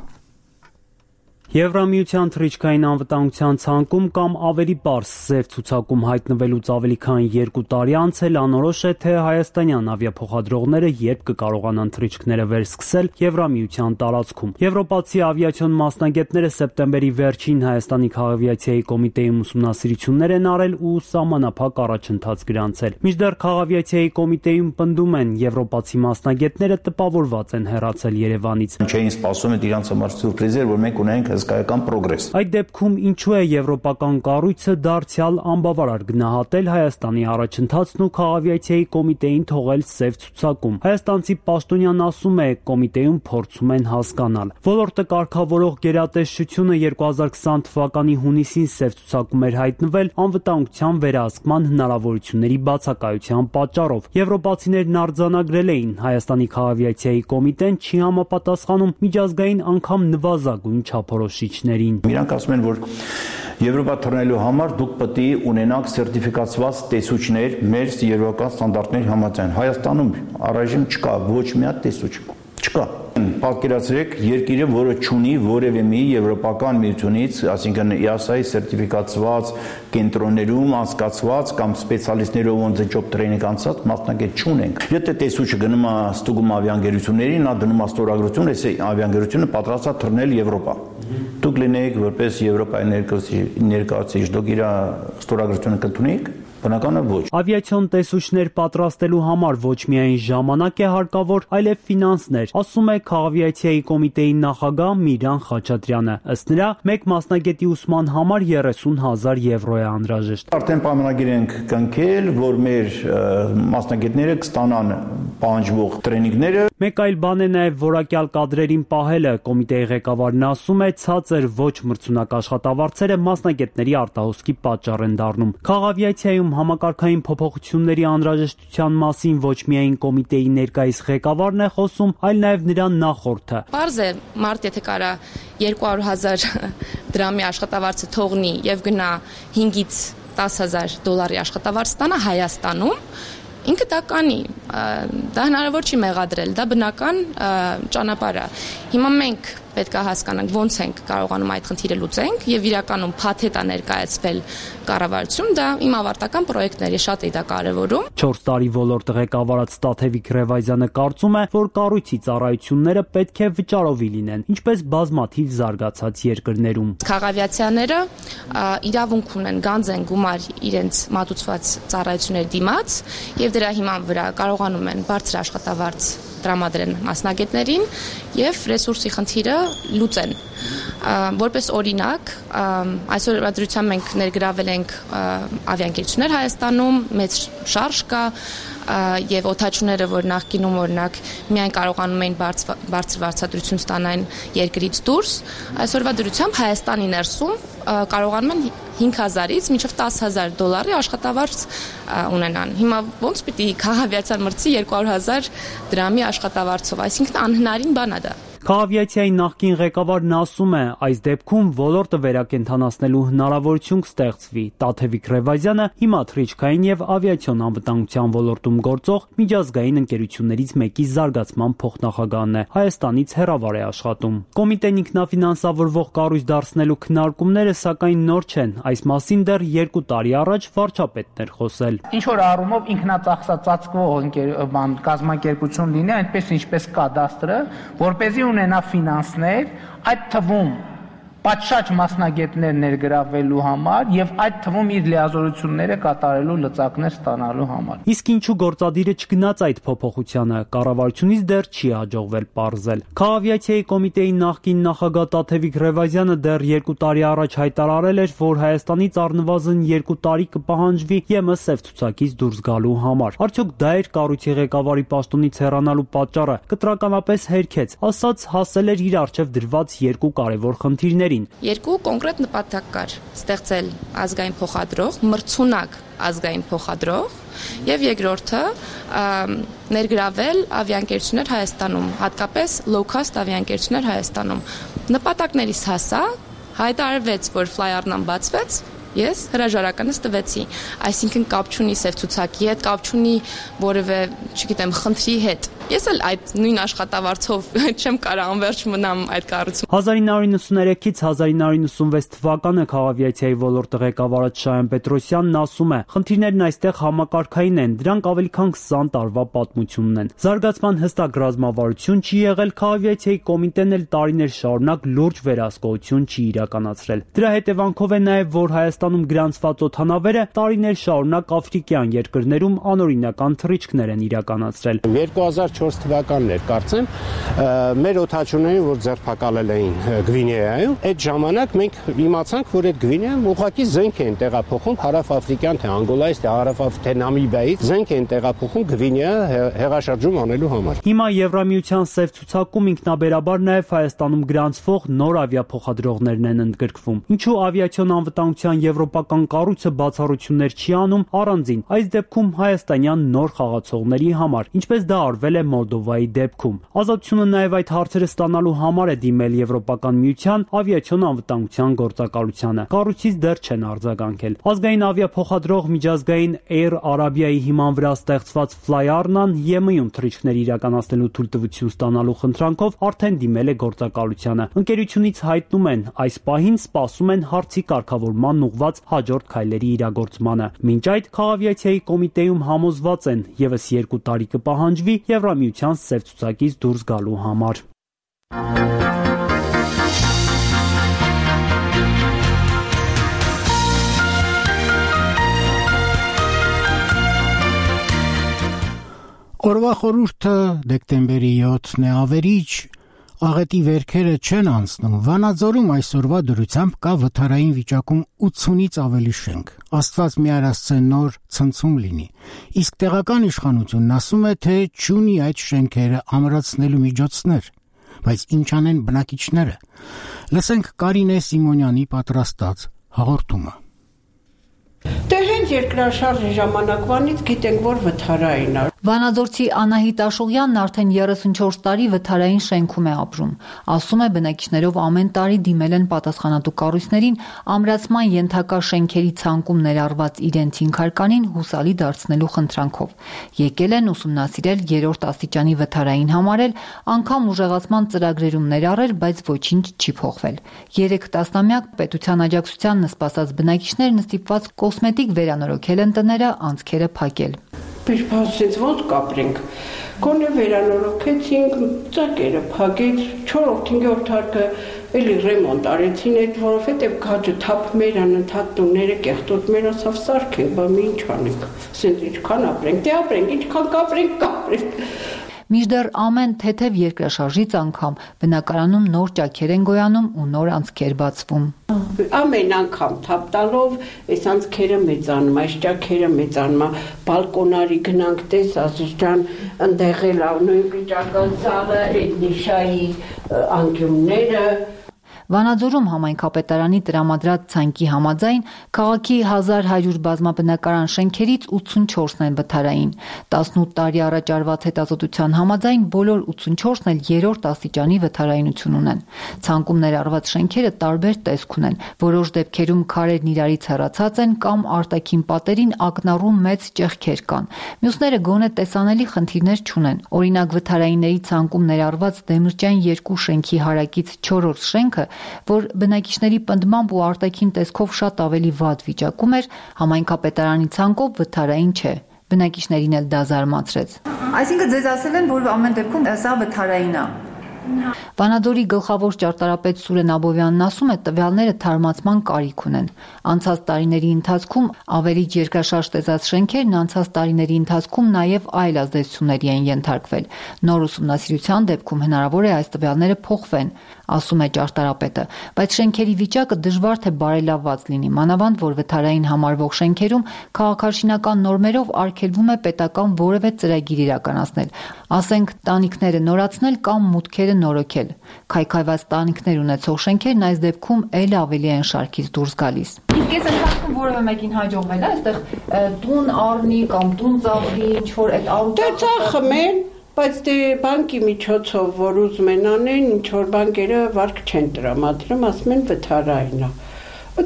Եվրամիության թռիչքային անվտանգության ցանկում կամ ավելի պարզ ձև ցուցակում հայտնվելուց ավելի քան 2 տարի անց էլ անորոշ է, թե հայաստանյան ավիափոխադրողները երբ կկարողանան թռիչքները վերսկսել Եվրամիության տարածքում։ Եվրոպացի ավիացիոն մասնագետները սեպտեմբերի վերջին Հայաստանի քաղավիացիայի կոմիտեում ուսումնասիրություններ են արել ու սահմանափակ առաջընթաց գրանցել։ Մինչդեռ քաղավիացիայի կոմիտեում պնդում են, եվրոպացի մասնագետները տպավորված են հեռացել Երևանից։ Չէին սպասում, այդ իրանց համար սուրպրիզ էր, որ մենք ունենք հսկայական պրոգրես։ Այդ դեպքում ինչու է եվրոպական կառույցը դարձյալ անբավարար գնահատել Հայաստանի առաջընթացն ու քաղաքավիացիայի կոմիտեին թողել սև ցուցակում։ Հայաստանցի պաշտոնյան ասում է, կոմիտեում փորձում են հասկանալ։ Ոլորտը կարգավորող գերատեսչությունը 2020 թվականի հունիսին սև ցուցակում էր հայտնվել անվտանգության վերահսկման հնարավորությունների բացակայության պատճառով։ Եվրոպացիներն արձանագրել էին, Հայաստանի քաղաքավիացիայի կոմիտեն չի համապատասխանում միջազգային անգամ նվազագույն չափորոշիչներին։ Իրանք ասում են, որ Եվրոպա թռնելու համար դուք պետք է ունենաք սերտիֆիկացված տեսուչներ մեր եվրոպական ստանդարտների համաձայն։ Հայաստանում առայժմ չկա ոչ մի հատ տեսուչ, չկա։ Պատկերացրեք երկիրը, որը չունի որևէ մի եվրոպական միությունից, այսինքն EASA-ի սերտիֆիկացված կենտրոններում անցկացված կամ սպեցիալիստներով on the job training անցած մասնագետ չունենք։ Եթե տեսուչը գնում է ստուգում ավիաընկերություններին, նա դնում է ստորագրություն, այս ավիաընկերությունը պատրաստ է թռնել Եվրոպա։ Դուք լինեիք որպես Եվրոպայի ներկայացուցիչ, դուք իր ստորագրությունը կընդունեիք։ Բնականաբար ոչ։ Ավիացիոն տեսուչներ պատրաստելու համար ոչ միայն ժամանակ է հարկավոր, այլև ֆինանսներ, ասում է քաղաքավիացիայի կոմիտեի նախագահ Միրան Խաչատրյանը։ Ըստ նրա, մեկ մասնագետի ուսման համար 30,000 եվրո է անհրաժեշտ։ Արդեն պայմանագիր ենք կնքել, որ մեր մասնագետները կստանան պահանջվող տրեյնինգները։ Մեկ այլ բան է նաև որակյալ կադրերին պահելը։ Կոմիտեի ղեկավարն ասում է, ցածր ոչ մրցունակ աշխատավարձերը մասնագետների արտահոսքի պատճառ են դառնում։ Քաղաքավիացիայում համակարգային փոփոխությունների անհրաժեշտության մասին ոչ միայն կոմիտեի ներկայիս ղեկավարն է խոսում, այլ նաև նրա նախորդը։ Պարզ է, մարդ եթե կարա 200,000 դրամի աշխատավարձը թողնի եւ գնա 5-ից 10,000 դոլարի աշխատավարձ ստանա Հայաստանում, ինքը դա կանի, դա հնարավոր չի մեղադրել, դա բնական ճանապարհ է։ Հիմա մենք պետք է հասկանանք ոնց ենք կարողանում այդ խնդիրը լուծենք եւ իրականում փաթեթ է ներկայացվել կառավարություն, դա իմ ավարտական պրոյեկտն է, շատ է դա կարեւորում։ 4 տարի ոլորտը ղեկավարած Տաթևիկ Ռևազյանը կարծում է, որ կառույցի ծառայությունները պետք է վճարովի լինեն, ինչպես բազմաթիվ զարգացած երկրներում։ Քաղաքավիացիաները իրավունք ունեն գանձեն գումար իրենց մատուցված ծառայությունների դիմաց եւ դրա հիման վրա կարողանում են բարձր աշխատավարձ տրամադրեն մասնագետներին եւ ռեսուրսի խնդիրը լուծեն։ Որպես օրինակ, այսօր դրությամբ մենք ներգրավել ենք ավիաընկերություններ Հայաստանում, մեծ շարժ կա եւ օթաչուները, որ նախկինում օրինակ միայն կարողանում էին բարձր վարձատրություն ստանալ երկրից դուրս, այսօրվա դրությամբ Հայաստանի ներսում կարողանում են 5,000-ից մինչև 10,000 դոլարի աշխատավարձ ունենան։ Հիմա ոնց պիտի քաղաքավիացիան մրցի 200,000 դրամի աշխատավարձով, այսինքն անհնարին բան է դա։ Քաղաքավիացիայի նախկին ղեկավարն ասում է, այս դեպքում ոլորտը վերակենդանացնելու հնարավորություն կստեղծվի։ Տաթևիկ Ռևազյանը հիմա թռիչքային եւ ավիացիոն անվտանգության ոլորտում գործող միջազգային ընկերություններից մեկի զարգացման փոխնախագահն է, Հայաստանից հեռավար է աշխատում։ Կոմիտեն ինքնաֆինանսավորվող կառույց դարձնելու քննարկումները սակայն նոր չեն, այս մասին դեռ 2 տարի առաջ վարչապետն էր խոսել։ Ինչ որ առումով ինքնածախսածածկվող կազմակերպություն լինի, այնպես ինչպես կադաստրը, որպեսզի ունենա ֆինանսներ, այդ թվում պատշաճ մասնագետներ ներգրավելու համար եւ այդ թվում իր լիազորությունները կատարելու լծակներ ստանալու համար։ Իսկ ինչու գործադիրը չգնաց այդ փոփոխությանը, կառավարությունից դեռ չի հաջողվել պարզել։ Քաղաքավիացիայի կոմիտեի նախկին նախագահ Տաթևիկ Ռևազյանը դեռ 2 տարի առաջ հայտարարել էր, որ Հայաստանից առնվազն 2 տարի կպահանջվի ԵՄ սև ցուցակից դուրս գալու համար։ Արդյոք դա էր կառույցի ղեկավարի պաշտոնից հեռանալու պատճառը։ Կտրականապես հերքեց, ասաց հասել էր իր առջև դրված 2 կարևոր խնդիրների։ Երկու կոնկրետ նպատակ կար՝ ստեղծել ազգային փոխադրող, մրցունակ ազգային փոխադրող եւ երկրորդը ներգրավել ավիաընկերություններ Հայաստանում, հատկապես low cost ավիաընկերություններ Հայաստանում։ Նպատակներից հասա, հայտարարվեց, որ ֆլայարնան բացվեց, ես հրաժարականս տվեցի, այսինքն կապ չունի սև ցուցակի հետ, կապ չունի որևէ, չգիտեմ, խնդրի հետ։ Ես էլ այդ նույն աշխատավարձով չեմ կարող անվերջ մնամ այդ կառույցում։ 1993-ից 1996 թվականը քաղաքավիացիայի ոլորտը ղեկավարած Շահեն Պետրոսյանն ասում է, խնդիրներն այստեղ համակարգային են, դրանք ավելի քան 20 տարվա պատմություն ունեն։ Զարգացման հստակ ռազմավարություն չի եղել, քաղաքավիացիայի կոմիտեն էլ տարիներ շարունակ լուրջ վերահսկողություն չի իրականացրել։ Դրա հետևանքով է նաև, որ Հայաստանի Հայաստանում գրանցված օդանավերը տարիներ շարունակ աֆրիկյան երկրներում անօրինական թռիչքներ են իրականացրել։ 2004 թվականն էր, կարծեմ, մեր օդաչուներին, որ ձերբակալել էին Գվինեայում, այդ ժամանակ մենք իմացանք, որ այդ Գվինեայում ուղղակի զենք են տեղափոխում հարավ-աֆրիկյան թե Անգոլայից, թե հարավ-թե Նամիբիայից զենք են տեղափոխում Գվինեա հեղաշրջում անելու համար։ Հիմա Եվրամիության սև ցուցակում ինքնաբերաբար նաև Հայաստանում գրանցվող նոր ավիափոխադրողներն են ընդգրկվում։ Ինչու ավիացիոն անվտանգության եվրոպական կառույցը բացառություններ չի անում առանձին այս դեպքում հայաստանյան նոր խաղացողների համար, ինչպես դա արվել է Մոլդովայի դեպքում։ Ազատությունը նաև այդ հարցերը ստանալու համար է դիմել Եվրոպական միության ավիացիոն անվտանգության գործակալությանը։ Կառույցից դեռ չեն արձագանքել։ Ազգային ավիափոխադրող միջազգային Air Arabia-ի հիման վրա ստեղծված Flyarnan ԵՄ-ում թռիչքներ իրականացնելու թույլտվություն ստանալու խնդրանքով արդեն դիմել է գործակալությանը։ Ընկերությունից հայտնում են, այս պահին սպասում են հարցի կարգավորման ուղղված հաջորդ քայլերի իրագործմանը։ Մինչ այդ Քաղավիացիայի կոմիտեում համոզված են, ևս 2 տարի կպահանջվի Եվրամիության սև ցուցակից դուրս գալու համար։ Օրվա խորհուրդը դեկտեմբերի 7-ն է, ավերիչ աղետի վերքերը չեն անցնում։ Վանաձորում այսօրվա դրությամբ կա վթարային վիճակում 80-ից ավելի շենք։ Աստված մի արասցե նոր ցնցում լինի։ Իսկ տեղական իշխանությունն ասում է, թե չունի այդ շենքերը ամրացնելու միջոցներ, բայց ինչ անեն բնակիչները։ Լսենք Կարինե Սիմոնյանի պատրաստած հաղորդումը։ Դե հենց երկրաշարժի ժամանակվանից գիտենք, որ վթարային է։ Վանաձորցի Անահիտ Աշուղյանն արդեն 34 տարի վթարային շենքում է ապրում։ Ասում է, բնակիչներով ամեն տարի դիմել են պատասխանատու կառույցներին ամրացման ենթակա շենքերի ցանկում ներառված իրենց հինգարկանին հուսալի դարձնելու խնդրանքով։ Եկել են ուսումնասիրել 3-րդ աստիճանի վթարային համարել, անգամ ուժեղացման ծրագրերում ներառել, բայց ոչինչ չի փոխվել։ 3 տասնամյակ պետության աջակցության նսպասած բնակիչներն ստիպված կոսմետիկ վերանորոգել են տները, անցքերը փակել։ Բերբասից ոնց կապրենք, գոնե վերանորոգեցինք, ծակերը փակեց, 4-5-րդ հարկը էլի ռեմոնտ արեցին այդ, որովհետև քաջը թափ մեր անընդհատ տունները կեղտոտ մեր ասավ սարքենք, բա մի ինչ անենք, ասենք ինչքան ապրենք, դե ապրենք, ինչքան կապրենք։ Մինչդեռ ամեն թեթև երկրաշարժից անգամ բնակարանում նոր ճաքեր են գոյանում ու նոր անցքեր բացվում։ Ամեն անգամ թափ տալով այս անցքերը մեծանում, այս ճաքերը մեծանում, բալկոնարի գնանք տես Ազիզ ջան, ընդեղ էլ նույն վիճակը սալը, այդ նիշայի անկյունները։ Վանաձորում համայնքապետարանի տրամադրած ցանկի համաձայն քաղաքի 1100 բազմաբնակարան շենքերից 84-ն են վթարային։ 18 տարի առաջ արված հետազոտության համաձայն բոլոր 84-ն էլ 3-րդ աստիճանի վթարայնություն ունեն։ Ցանկում ներառված շենքերը տարբեր տեսք ունեն։ Որոշ դեպքերում քարերն իրարից հեռացած են կամ արտաքին պատերին ակնառու մեծ ճեղքեր կան։ Մյուսները գոնե տեսանելի խնդիրներ չունեն։ Օրինակ վթարայինների ցանկում ներառված Դեմիրճյան 2 շենքի հարակից 4-րդ շենքը, որ բնակիչների պնդմամբ ու արտաքին տեսքով շատ ավելի վատ վիճակում էր, համայնքապետարանի ցանկով վթարային չէ։ Բնակիչներին էլ դա զարմացրեց։ Այսինքն ձեզ ասել են, որ ամեն դեպքում սա վթարային է։ Վանաձորի գլխավոր ճարտարապետ Սուրեն Աբովյանն ասում է, տվյալները թարմացման կարիք ունեն։ Անցած տարիների ընթացքում ավերիչ երկրաշարժ տեսած շենքերն անցած տարիների ընթացքում նաև այլ ազդեցությունների են ենթարկվել։ Նոր ուսումնասիրության դեպքում հնարավոր է այս տվյալները փոխվեն, ասում է ճարտարապետը, բայց շենքերի վիճակը դժվար թե բարելավված լինի, մանավանդ որ վթարային համարվող շենքերում քաղաքաշինական նորմերով արգելվում է պետական որևէ ծրագիր իրականացնել, ասենք տանիքները նորացնել կամ մուտքերը նորոգել։ Քայքայված տանիքներ ունեցող շենքերն այս դեպքում էլ ավելի են շարքից դուրս գալիս։ Իսկ այս ընթացքում որևէ մեկին հաջողվել է այստեղ տուն առնի կամ տուն ծախի, ինչ որ այդ դե ծախմեն, բայց դե բանկի միջոցով որ ուզում են անեն, ինչ որ բանկերը վարկ չեն տրամադրում, ասում են վթարային է։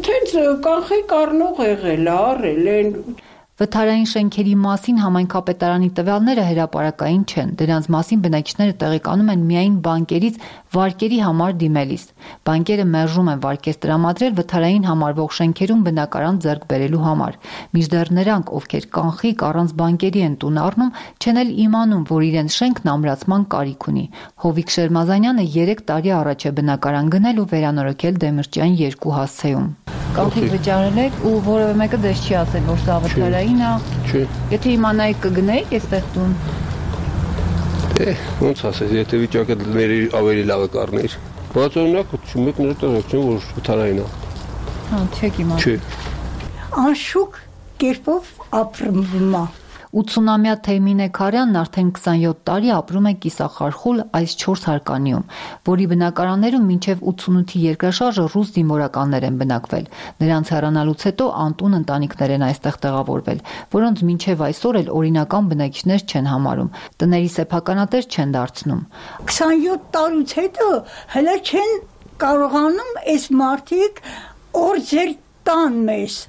Թենց կանխիկ առնող եղել է, առել են։ Վթարային շենքերի մասին համայնքապետարանի տվյալները հրապարակային չեն։ Դրանց մասին բնակիչները տեղեկանում են միայն բանկերից վարկերի համար դիմելիս։ Բանկերը մերժում են վարկեր տրամադրել վթարային համարվող շենքերում բնակարան ձեռք բերելու համար։ Մինչդեռ նրանք, ովքեր կանխիկ առանց բանկերի են տուն առնում, չեն էլ իմանում, որ իրենց շենքն ամրացման կարիք ունի։ Հովիկ Շերմազանյանը 3 տարի առաջ է բնակարան գնել ու վերանորոգել Դեմիրճյան 2 հասցեում։ Կանխիկ վճարել եք ու որևէ մեկը դες չի ասել, որ սա վթարային է։ Չէ։ Եթե իմանայիք կգնայիք այստեղ տուն։ Ոնց ասես, եթե վիճակը ավելի լավը կառներ։ Բայց օրինակ մեկները տանք չեն, որ վթարային է։ Հա, չեք իմանում։ Չէ։ Անշուք կերպով ապրում է։ 80-ամյա Թեյմինե Քարյանն արդեն 27 տարի ապրում է կիսախարխուլ այս 4 հարկանիում, որի բնակարաններում մինչև 88-ի երկրաշարժը ռուս զինվորականներ են բնակվել։ Նրանց հեռանալուց հետո անտուն ընտանիքներ են այստեղ տեղավորվել, որոնց մինչև այսօր էլ օրինական բնակիչներ չեն համարում, տների սեփականատեր չեն դարձնում։ 27 տարուց հետո հələ չեն կարողանում այս մարդիկ օրձեր տան մեզ։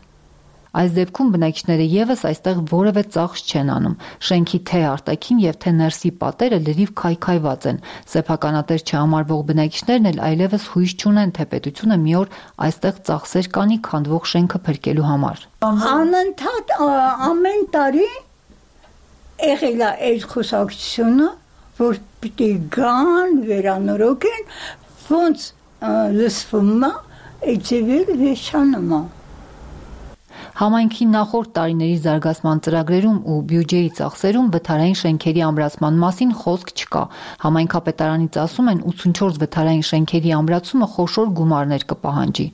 Այս դեպքում բնակիչները եւս այստեղ որևէ ծախս չեն անում։ Շենքի թե արտաքին եւ թե ներսի պատերը լրիվ քայքայված են։ Սեփականատեր չհամարվող բնակիչներն էլ այլևս հույս չունեն, թե պետությունը մի օր այստեղ ծախսեր կանի քանդվող շենքը փրկելու համար։ Անընդհատ ամեն տարի եղել է այս խոսակցությունը, որ պիտի գան, վերանորոգեն, ոնց լսվում է, այցևել վեշանում է։ Համայնքի նախորդ տարիների զարգացման ծրագրերում ու բյուջեի ծախսերում վթարային շենքերի ամրացման մասին խոսք չկա։ Համայնքապետարանից ասում են 84 վթարային շենքերի ամրացումը խոշոր գումարներ կպահանջի։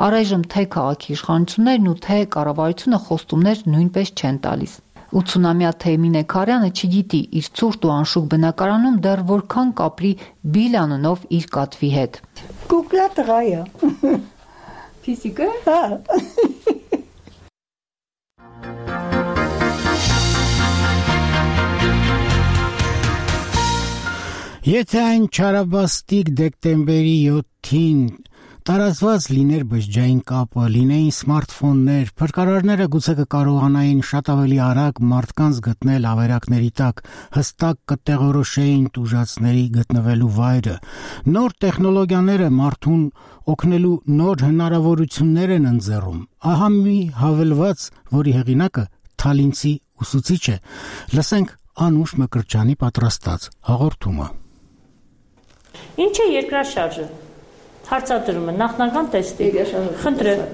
Առայժմ թե քաղաքի իշխանություններն ու թե կառավարությունը խոստումներ նույնպես չեն տալիս։ 80-ամյա Թեյմինե Քարյանը չգիտի իր ցուրտ ու անշուք բնակարանում դեռ որքան կապրի Բիլ անունով իր կատվի հետ։ Կուկլա տղա է։ Ֆիզիկա։ Հա։ Եթե այն չարաբաստիկ դեկտեմբերի 7-ին տարածված լիներ բջջային կապը, լինեին սմարթֆոններ, փրկարարները գուցե կկարողանային շատ ավելի արագ մարդկանց գտնել ավերակների տակ, հստակ կտեղորոշեին տուժածների գտնվելու վայրը։ Նոր տեխնոլոգիաները մարդուն օգնելու նոր հնարավորություններ են ընձեռում։ Ահա մի հավելված, որի հեղինակը թալինցի ուսուցիչ է։ Լսենք Անուշ Մկրտչյանի պատրաստած հաղորդումը։ Ինչ է երկրաշարժը։ Հարցադրումը նախնական տեստի։ Խնդրեմ,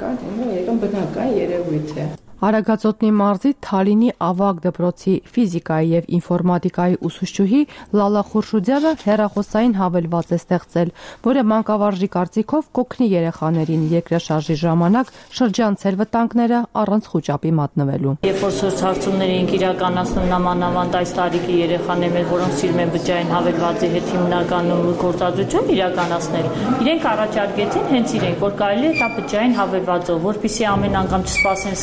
բնական երևույթ է։ Արագածոտնի մարզի Թալինի ավագ դպրոցի ֆիզիկայի եւ ինֆորմատիկայի ուսուցչուհի Լալա Խուրշուդյանը հեռախոսային հավելված է ստեղծել, որը մանկավարժի կարծիքով կօգնի երեխաներին երկրաշարժի ժամանակ շրջանցել վտանգները առանց խուճապի մատնվելու։ Երբ որ սոցհարցումներ ենք իրականացնում նամանավանդ այս տարիքի երեխաներ, որոնք սիրում են բջջային հավելվածի հետ հիմնականում գործադրություն իրականացնել, իրենք առաջարկեցին հենց իրենք, որ կարելի է դա բջջային հավելվածով, որպեսզի ամեն անգամ չսպասեն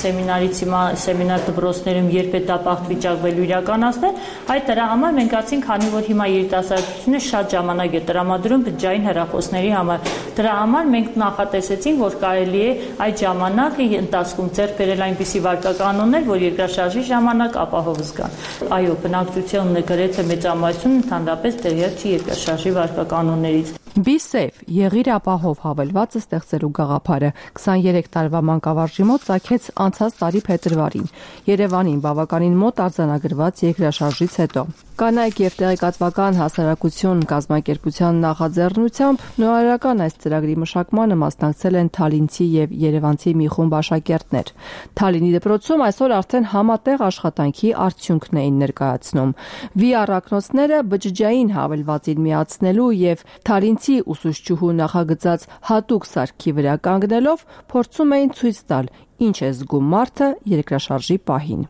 սեմինար դպրոցներում երբ է դա բախտ վիճակվելու իրականացնել, այդ դրա համար մենք ասենք, քանի որ հիմա երիտասարդությունը շատ ժամանակ է տրամադրում բջջային հեռախոսների համար, դրա համար մենք նախատեսեցինք, որ կարելի է այդ ժամանակը ընթացքում ձեռք բերել այնպիսի վարկականոններ, որ երկրաշարժի ժամանակ ապահով զգան։ Այո, բնակչությունը գրեթե մեծամասնություն ընդհանրապես տեղյակ չի երկրաշարժի վարկականոններից։ BeSafe եղիր ապահով հավելվածը ստեղծելու գաղափարը 23 տարվա մանկավարժի մոտ ծագեց անցած տարի փետրվարին Երևանին բավականին մոտ արձանագրված երկրաշարժից հետո։ Կանայք եւ տեղեկատվական հասարակություն կազմակերպության նախաձեռնությամբ նորարարական այս ծրագրի մշակմանը մասնակցել են թալինցի եւ երևանցի մի խումբ աշակերտներ։ Թալինի դպրոցում այսօր արդեն համատեղ աշխատանքի արդյունքն էին ներկայացնում։ VR ակնոցները բջջային հավելվածին միացնելու եւ թալինցի ուսուցչուհու նախագծած հատուկ սարքի վրա կանգնելով փորձում էին ցույց տալ, ինչ է զգում մարդը երկրաշարժի պահին։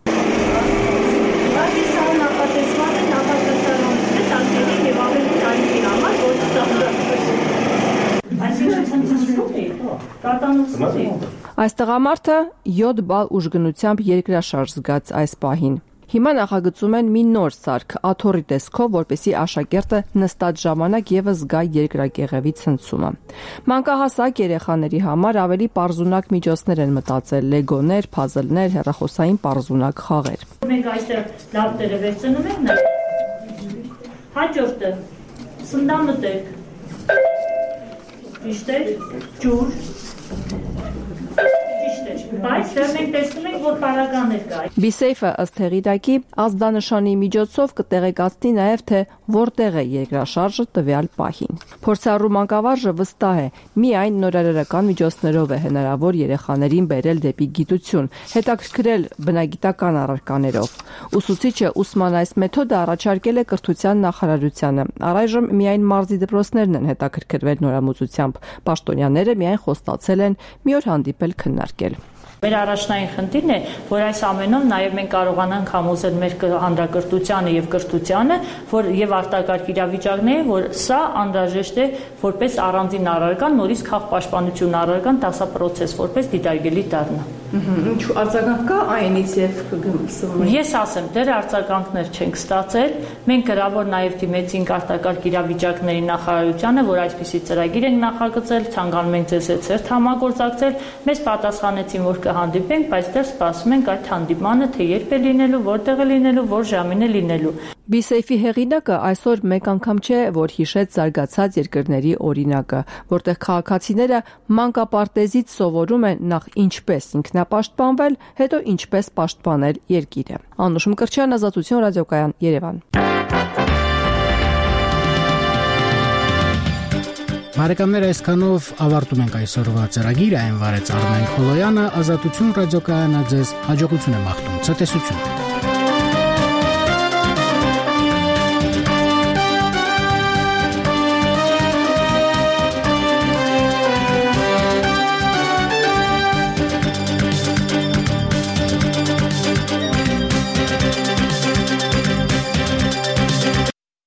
Այս տղամարդը 7 բալ ուժգնությամբ երկրաշարժ զգաց այս պահին։ Հիմա նախագծում են մի նոր սարք աթոռի տեսքով, որպեսզի աշակերտը նստած ժամանակ եւս զգա երկրակեղևի ցնցումը։ Մանկահասակ երեխաների համար ավելի պարզունակ միջոցներ են մտածել՝ լեգոներ, փազլներ, հեռախոսային պարզունակ խաղեր։ Մենք այստեղ լապտերը վերցնում ենք, հաջորդը սնդամտեք, ճիշտ է, ջուր, բայց դեռ մենք տեսնում ենք, որ պարագաներ կա։ BeSafe-ը ըստ հեղինակի ազդանշանի միջոցով կտեղեկացնի նաև թե որտեղ է երկրաշարժը տվյալ պահին։ Փորձառու մանկավարժը վստահ է, միայն նորարարական միջոցներով է հնարավոր երեխաներին բերել դեպի գիտություն, հետաքրքրել բնագիտական առարկաներով։ Ուսուցիչը ուսման այս մեթոդը առաջարկել է կրթության նախարարությանը։ Առայժմ միայն մարզի դպրոցներն են հետաքրքրվել նորամուծությամբ։ Պաշտոնյաները միայն խոստացել են մի օր հանդիպել քննարկել։ Մեր առաջնային խնդիրն է, որ այս ամենով նաև մենք կարողանանք համոզել մեր հանրակրթությանը եւ կրթությանը, որ եւ արտակարգ իրավիճակները, որ սա անհրաժեշտ է որպես առանձին առարկան, նորից քաղաքապաշտպանություն առարկան դասապրոցես, որպես դիտարկելի դառնա։ Ինչու արձագանք կա այնից եւ Ես ասեմ, դեռ արձագանքներ չենք ստացել։ Մենք գրավոր նաև դիմեցինք արտակարգ իրավիճակների նախարարությանը, որ այսպիսի ծրագիր ենք նախագծել, ցանկանում ենք ձեզ հետ ծերտ համագործակցել։ Մեզ պատասխանեցին, որ կհանդիպենք, բայց դեռ սպասում ենք այդ հանդիպմանը, թե երբ է լինելու, որտեղ է լինելու, որ ժամին է լինելու։ BeSafe-ի հեղինակը այսօր մեկ անգամ չէ, որ հիշեց զարգացած երկրների օրինակը, որտեղ քաղաքացիները մանկապարտեզից սովորում են նախ ինչպես ինքնապաշտպանվել, հետո ինչպես պաշտպանել երկիրը։ Անուշ Մկրտչյան, Ազատություն ռադիոկայան, Երևան։ Բարեկամներ, այսքանով ավարտում ենք այսօրվա ծրագիրը, այն վարեց Արմեն Խոլոյանը, Ազատություն ռադիոկայանը ձեզ հաջողություն է մաղթում, ցտեսություն։